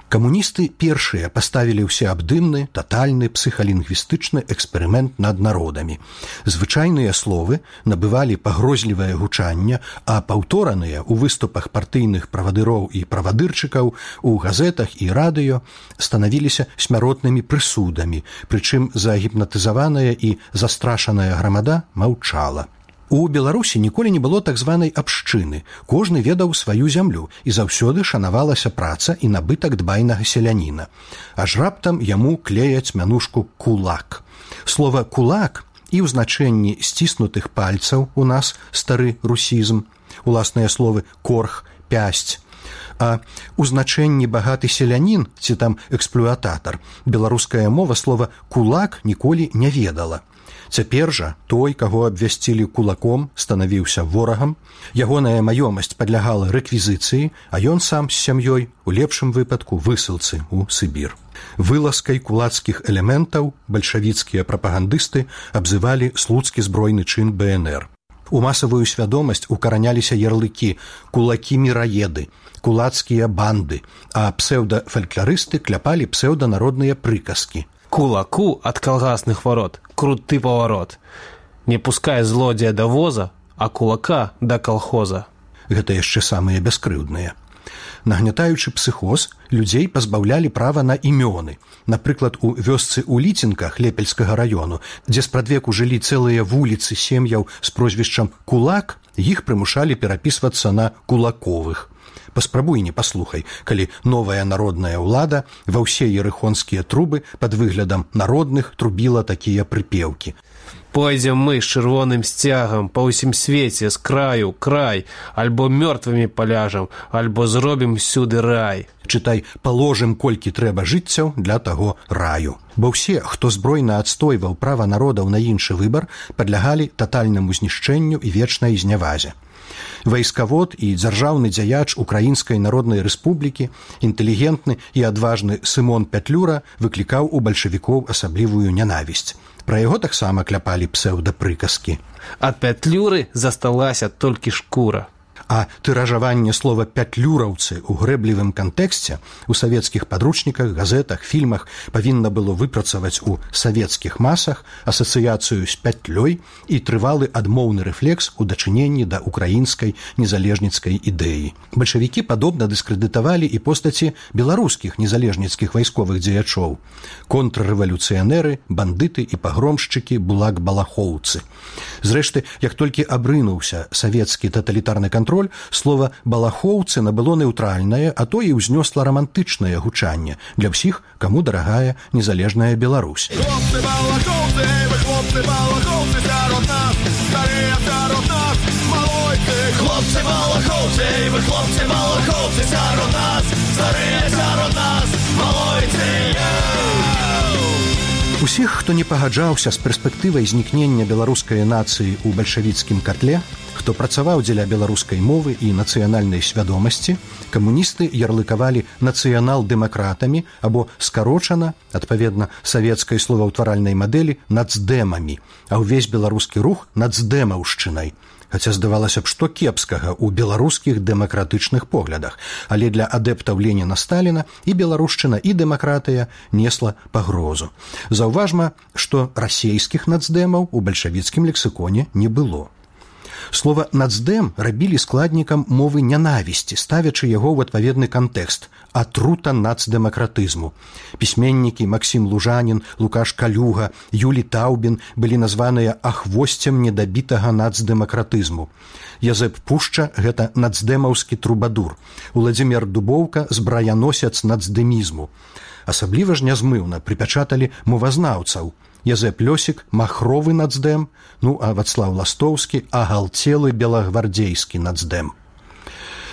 Камуністы першыя паставілі ўсеабдымны, татальны псіхалінгвістычны эксперымент над народамі. Звычайныя словы набывалі пагрозлівае гучанне, а паўтораныя ў выступах партыйных правадыроў і правадырчыкаў у газетах і радыё станавіліся смяротнымі прысудамі, прычым загіпнатызаваная і застрашаная грамада маўчала. У Беларусі ніколі не было так званай абшчыны. Кожны ведаў сваю зямлю, і заўсёды шанавалася праца і набытак дбайнага селяніна. Аж раптам яму клеяць мянушку «кулак». Слова «кулак» і ў значэнні сціснутых пальцаў у нас стары русізм, уласныя словы «корх», «пясць». А ў значэнні багаты селянін ці там эксплуататар беларуская мова слова «кулак» ніколі не ведала. Цяпер жа той, каго абвясцілі кулаком, станавіўся ворагам, ягоная маёмасць падлягала рэквізіцыі, а ён сам з сям'ёй, у лепшым выпадку, высылцы ў Сібір. Вылазкай кулацкіх элементаў бальшавіцкія прапагандысты абзывалі слуцкі збройны чын БНР. У масавую свядомасць укараняліся ярлыкі «кулакі-міраеды», «кулацкія банды», а псеўдафалькларысты кляпалі псеўданародныя прыказкі. Кулаку ад калгасных ворот круты поворот. Не пускай злодзея да воза, а кулака да колхоза. Гэта яшчэ самыя бяскрыўдныя. Нагнятаючы псіхоз, людзей пазбаўлялі права на імёны. Напрыклад, у вёсцы ў Ліцінках Лепельскага раёну, дзе спрадвеку жылі цэлыя вуліцы сем'яў з прозвішчам «Кулак», іх прымушалі перапісвацца на «Кулаковых». Паспрабуй не паслухай, калі новая народная ўлада ва ўсе ерыхонскія трубы пад выглядам народных трубіла такія прыпеўкі. Пойдзем мы з чырвоным сцягам па ўсім свеце з краю край, альбо мёртвымі паляжам, альбо зробім сюды рай. Чытай, паложым колькі трэба жыццяў для таго раю. Бо ўсе, хто збройна адстойваў права народаў на іншы выбар, падлягалі татальнаму знішчэнню і вечнай знявазе. Вайскавод і дзяржаўны дзяяч Украінскай Народнай Рэспублікі, інтэлігентны і адважны Сымон Пятлюра выклікаў у бальшавікоў асаблівую нянавісць. Пра яго таксама кляпалі псеўдапрыказкі. Ад Пятлюры засталася толькі шкура. А тыражаванне слова «пятлюраўцы» у грэблівым кантэксце у савецкіх падручніках, газетах, фільмах павінна было выпрацаваць у савецкіх масах асацыяцыю з пятлёй і трывалы адмоўны рэфлекс у дачыненні да украінскай незалежніцкай ідэі. Бальшавікі падобна дыскрэдытавалі і постаці беларускіх незалежніцкіх вайсковых дзеячоў. Контррэвалюцыянеры, бандыты і пагромшчыкі булак-балахоўцы. Зрэшты, як толькі абрынуўся савецкі таталітарны кантроль, слова «балахоўцы» набыло нейтральнае, а то і ўзнёсла рамантычнае гучанне для ўсіх, каму дарагая незалежная Беларусь. Хлопцы балахоўцы, вы хлопцы балахоўцы сярод нас, старыя сярод нас, малойцы. Хлопцы балахоўцы, вы хлопцы балахоўцы сярод нас, старыя сярод нас, малойцы. Усіх, хто не пагаджаўся з перспектывай знікнення беларускай нацыі ў бальшавіцкім катле, хто працаваў дзеля беларускай мовы і нацыянальнай свядомасці, камуністы ярлыкавалі нацыянал-дэмакратамі або скарочана, адпаведна савецкай словаўтваральнай мадэлі, нацдэмамі, а ўвесь беларускі рух нацдэмаўшчынай. Хаця здавалася б, што кепскага ў беларускіх дэмакратычных поглядах, але для адэптаў Леніна-Сталіна і беларушчына, і дэмакратыя несла пагрозу. Заўважма, што расейскіх нацдэмаў у бальшавіцкім лексіконе не было. Слова «нацдэм» рабілі складнікам мовы нянавісці, ставячы яго ў адпаведны кантэкст – атрута нацдэмакратызму. Пісьменнікі Максім Лужанін, Лукаш Калюга, Юлі Таўбін былі названыя ахвосцем недабітага нацдэмакратызму. Язэп Пушча – гэта нацдэмаўскі трубадур. Уладзімір Дубоўка – збраяносец нацдэмізму. Асабліва ж нязмыўна прыпячаталі мовазнаўцаў. Язэп Лёсік – махровы нацдэм, ну а Вацлаў Ластоўскі – агалцелы белагвардзейскі нацдэм.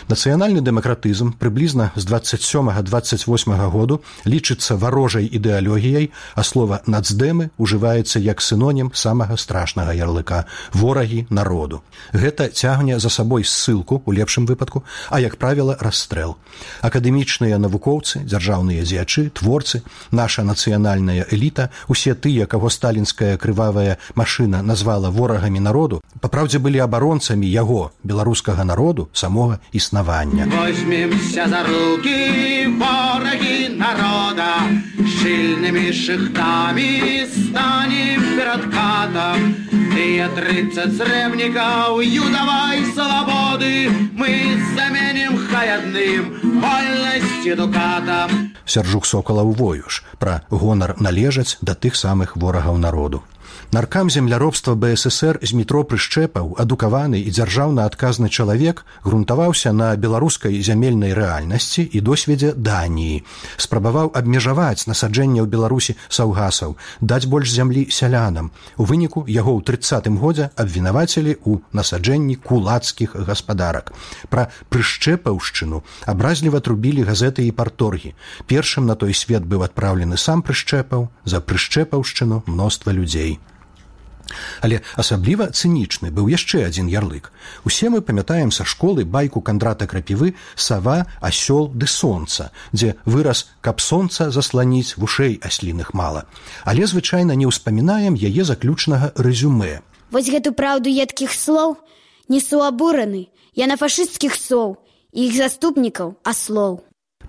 Нацыянальны дэмакратызм прыблізна з 27-28 году лічыцца варожай ідэалогіяй, а слова «нацдэмы» ужываецца як сінонім самага страшнага ярлыка – ворагі народу. Гэта цягне за сабой ссылку, у лепшым выпадку, а, як правіла, расстрэл. Акадэмічныя навукоўцы, дзяржаўныя дзеячы, творцы, наша нацыянальная эліта, усе тыя, каго сталінская крывавая машына назвала ворагамі народу, папраўдзе былі абаронцамі яго, беларускага народу, самога існавання. Возьмемся за руки, вороги народа, щільними шихтами станем перед катом. И 30 сребников юдовой свободы мы заменим хаядным вольности дукатом. Сяржук Сокалаў воюш пра гонар належаць да тых самых ворагаў народу. Наркам земляробства БССР Змітро Прышчэпаў, адукаваны і дзяржаўна адказны чалавек, грунтаваўся на беларускай зямельнай рэальнасці і досведзе Даніі. Спрабаваў абмежаваць насаджэнне ў Беларусі саўгасаў, даць больш зямлі сялянам. У выніку яго ў 30-м годзе абвінавацілі ў насаджэнні кулацкіх гаспадарак. Пра Прышчэпаўшчыну абразліва трубілі газеты і парторгі. Першым на той свет быў адпраўлены сам Прышчэпаў, за Прышчэпаўшчыну мноства людзей. Але асабліва цынічны быў яшчэ адзін ярлык. Усе мы памятаем са школы байку Кандрата Крапівы «Сава, асёл ды сонца», дзе выраз «каб сонца засланіць, вушэй асліных мала». Але звычайна не ўспамінаем яе заключнага рэзюмэ. Вось гэту праўду едкіх слоў несу абураны. Я на фашысцкіх соў і іх заступнікаў аслоў.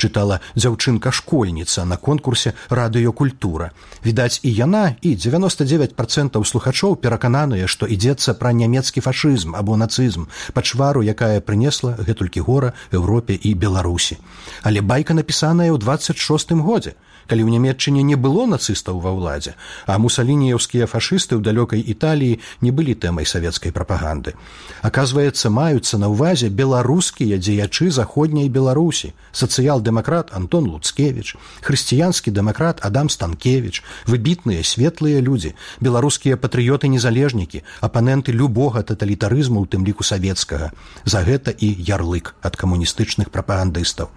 чытала дзяўчынка-школьніца на конкурсе «Радыёкультура». Відаць, і яна, і 99% слухачоў перакананыя, што ідзецца пра нямецкі фашызм або нацызм, пачвару, якая прынесла гэтулькі гора Еўропе і Беларусі. Але байка напісаная ў 26-м годзе, калі ў Нямецчыне не было нацыстаў ва ўладзе, а мусалініеўскія фашысты ў далёкай Італіі не былі тэмай савецкай прапаганды. Аказваецца, маюцца на ўвазе беларускія дзеячы заходняй Беларусі, сацыял-дэмакрат Антон Луцкевіч, хрысціянскі дэмакрат Адам Станкевіч, выбітныя светлыя людзі, беларускія патрыёты-незалежнікі, апаненты любога таталітарызму, у тым ліку савецкага. За гэта і ярлык ад камуністычных прапагандыстаў.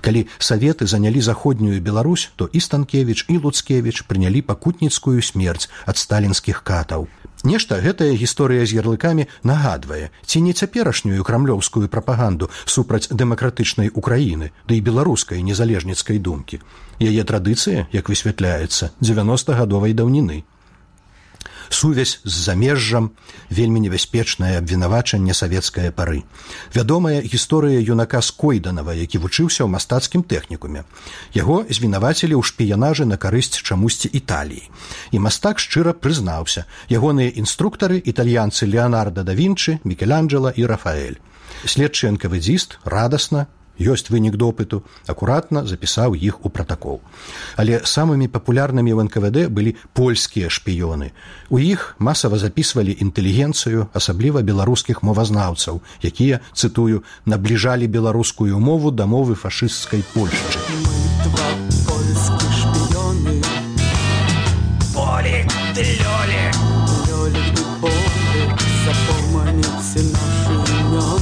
Калі саветы занялі заходнюю Беларусь, то і Станкевіч, і Луцкевіч прынялі пакутніцкую смерць ад сталінскіх катаў. Нешта гэтая гісторыя з ярлыкамі нагадвае, ці не цяперашнюю крамлёўскую прапаганду супраць дэмакратычнай Украіны, ды і беларускай незалежніцкай думкі. Яе традыцыя, як высвятляецца, 90-гадовай даўніны. Сувязь з замежжам, вельмі небяспечнае абвінавачанне савецкае пары. Вядомая гісторыя юнака Скойданава, які вучыўся ў мастацкім тэхнікуме. Яго звінавацілі ў шпіянажы на карысць чамусьці Італіі. І мастак шчыра прызнаўся. Ягоныя інструктары італьянцы Леонардо да Вінчы, Мікеланджела і Рафаэль. Следчы НКВДзіст радасна, ёсць вынік допыту, акуратна запісаў іх у пратакол. Але самымі папулярнымі ў НКВД былі польскія шпіёны. У іх масава запісвалі інтэлігенцыю, асабліва беларускіх мовазнаўцаў, якія, цытую, набліжалі беларускую мову да мовы фашысцкай Польшчы. Болик, ты Лёлик, Лёлик, ты Болик, запомните наши имена.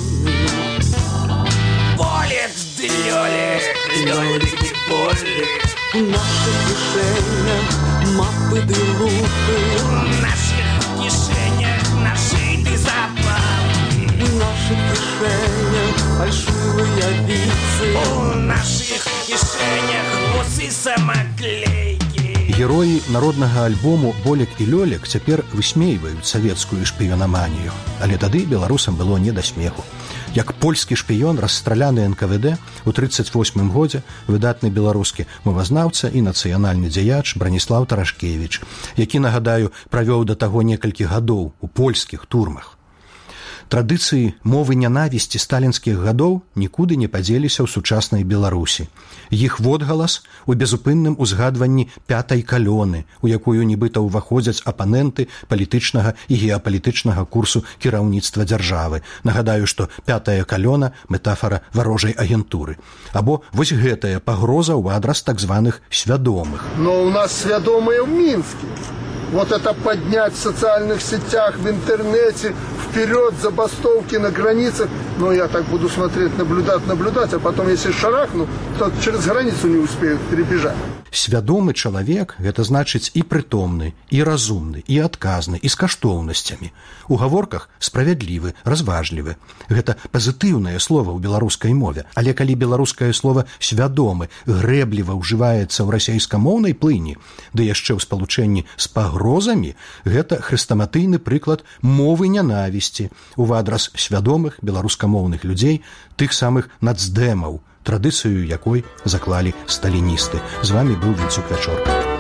Болик, ты Лёлик, Лёлик, ты Болик, в наших кишенях мапы ты лупы, в наших кишенях нашитый запал, в наших кишенях фальшивые вицы, в наших кишенях усы самоклейки. Героі народнага альбому «Болік і Лёлік» цяпер высмейваюць савецкую шпіёнаманію, але тады беларусам было не да смеху. Як польскі шпіён, расстраляны НКВД у 1938 годзе, выдатны беларускі мовазнаўца і нацыянальны дзеяч Браніслаў Тарашкевіч, які, нагадаю, правёў да таго некалькі гадоў у польскіх турмах. Традыцыі мовы нянавісці сталінскіх гадоў нікуды не падзеліся ў сучаснай Беларусі. Іх водгалас у безупынным узгадванні пятай калёны, у якую нібыта ўваходзяць апаненты палітычнага і геапалітычнага курсу кіраўніцтва дзяржавы. Нагадаю, што пятая калёна – метафара варожай агентуры. Або вось гэтая пагроза ў адрас так званых свядомых. Но у нас свядомыя ў Мінске. Вот это поднять в социальных сетях, в интернете, вперед, забастовки на границах. Но я так буду смотреть, наблюдать, а потом, если шарахну, то через границу не успеют перебежать. Свядомы чалавек – гэта значыць і прытомны, і разумны, і адказны, і з каштоўнасцямі. У гаворках справядлівы, разважлівы. Гэта пазітыўнае слова ў беларускай мове. Але калі беларускае слова «свядомы» грэбліва ўжываецца ў расейскамоўнай плыні, ды яшчэ ў спалучэнні з пагрозамі, гэта хрэстаматыйны прыклад мовы нянавісці ў адрас свядомых беларускамоўных людзей, тых самых нацдэмаў, традыцыю якой заклалі сталіністы. З вами быў Вінцук Вячорка.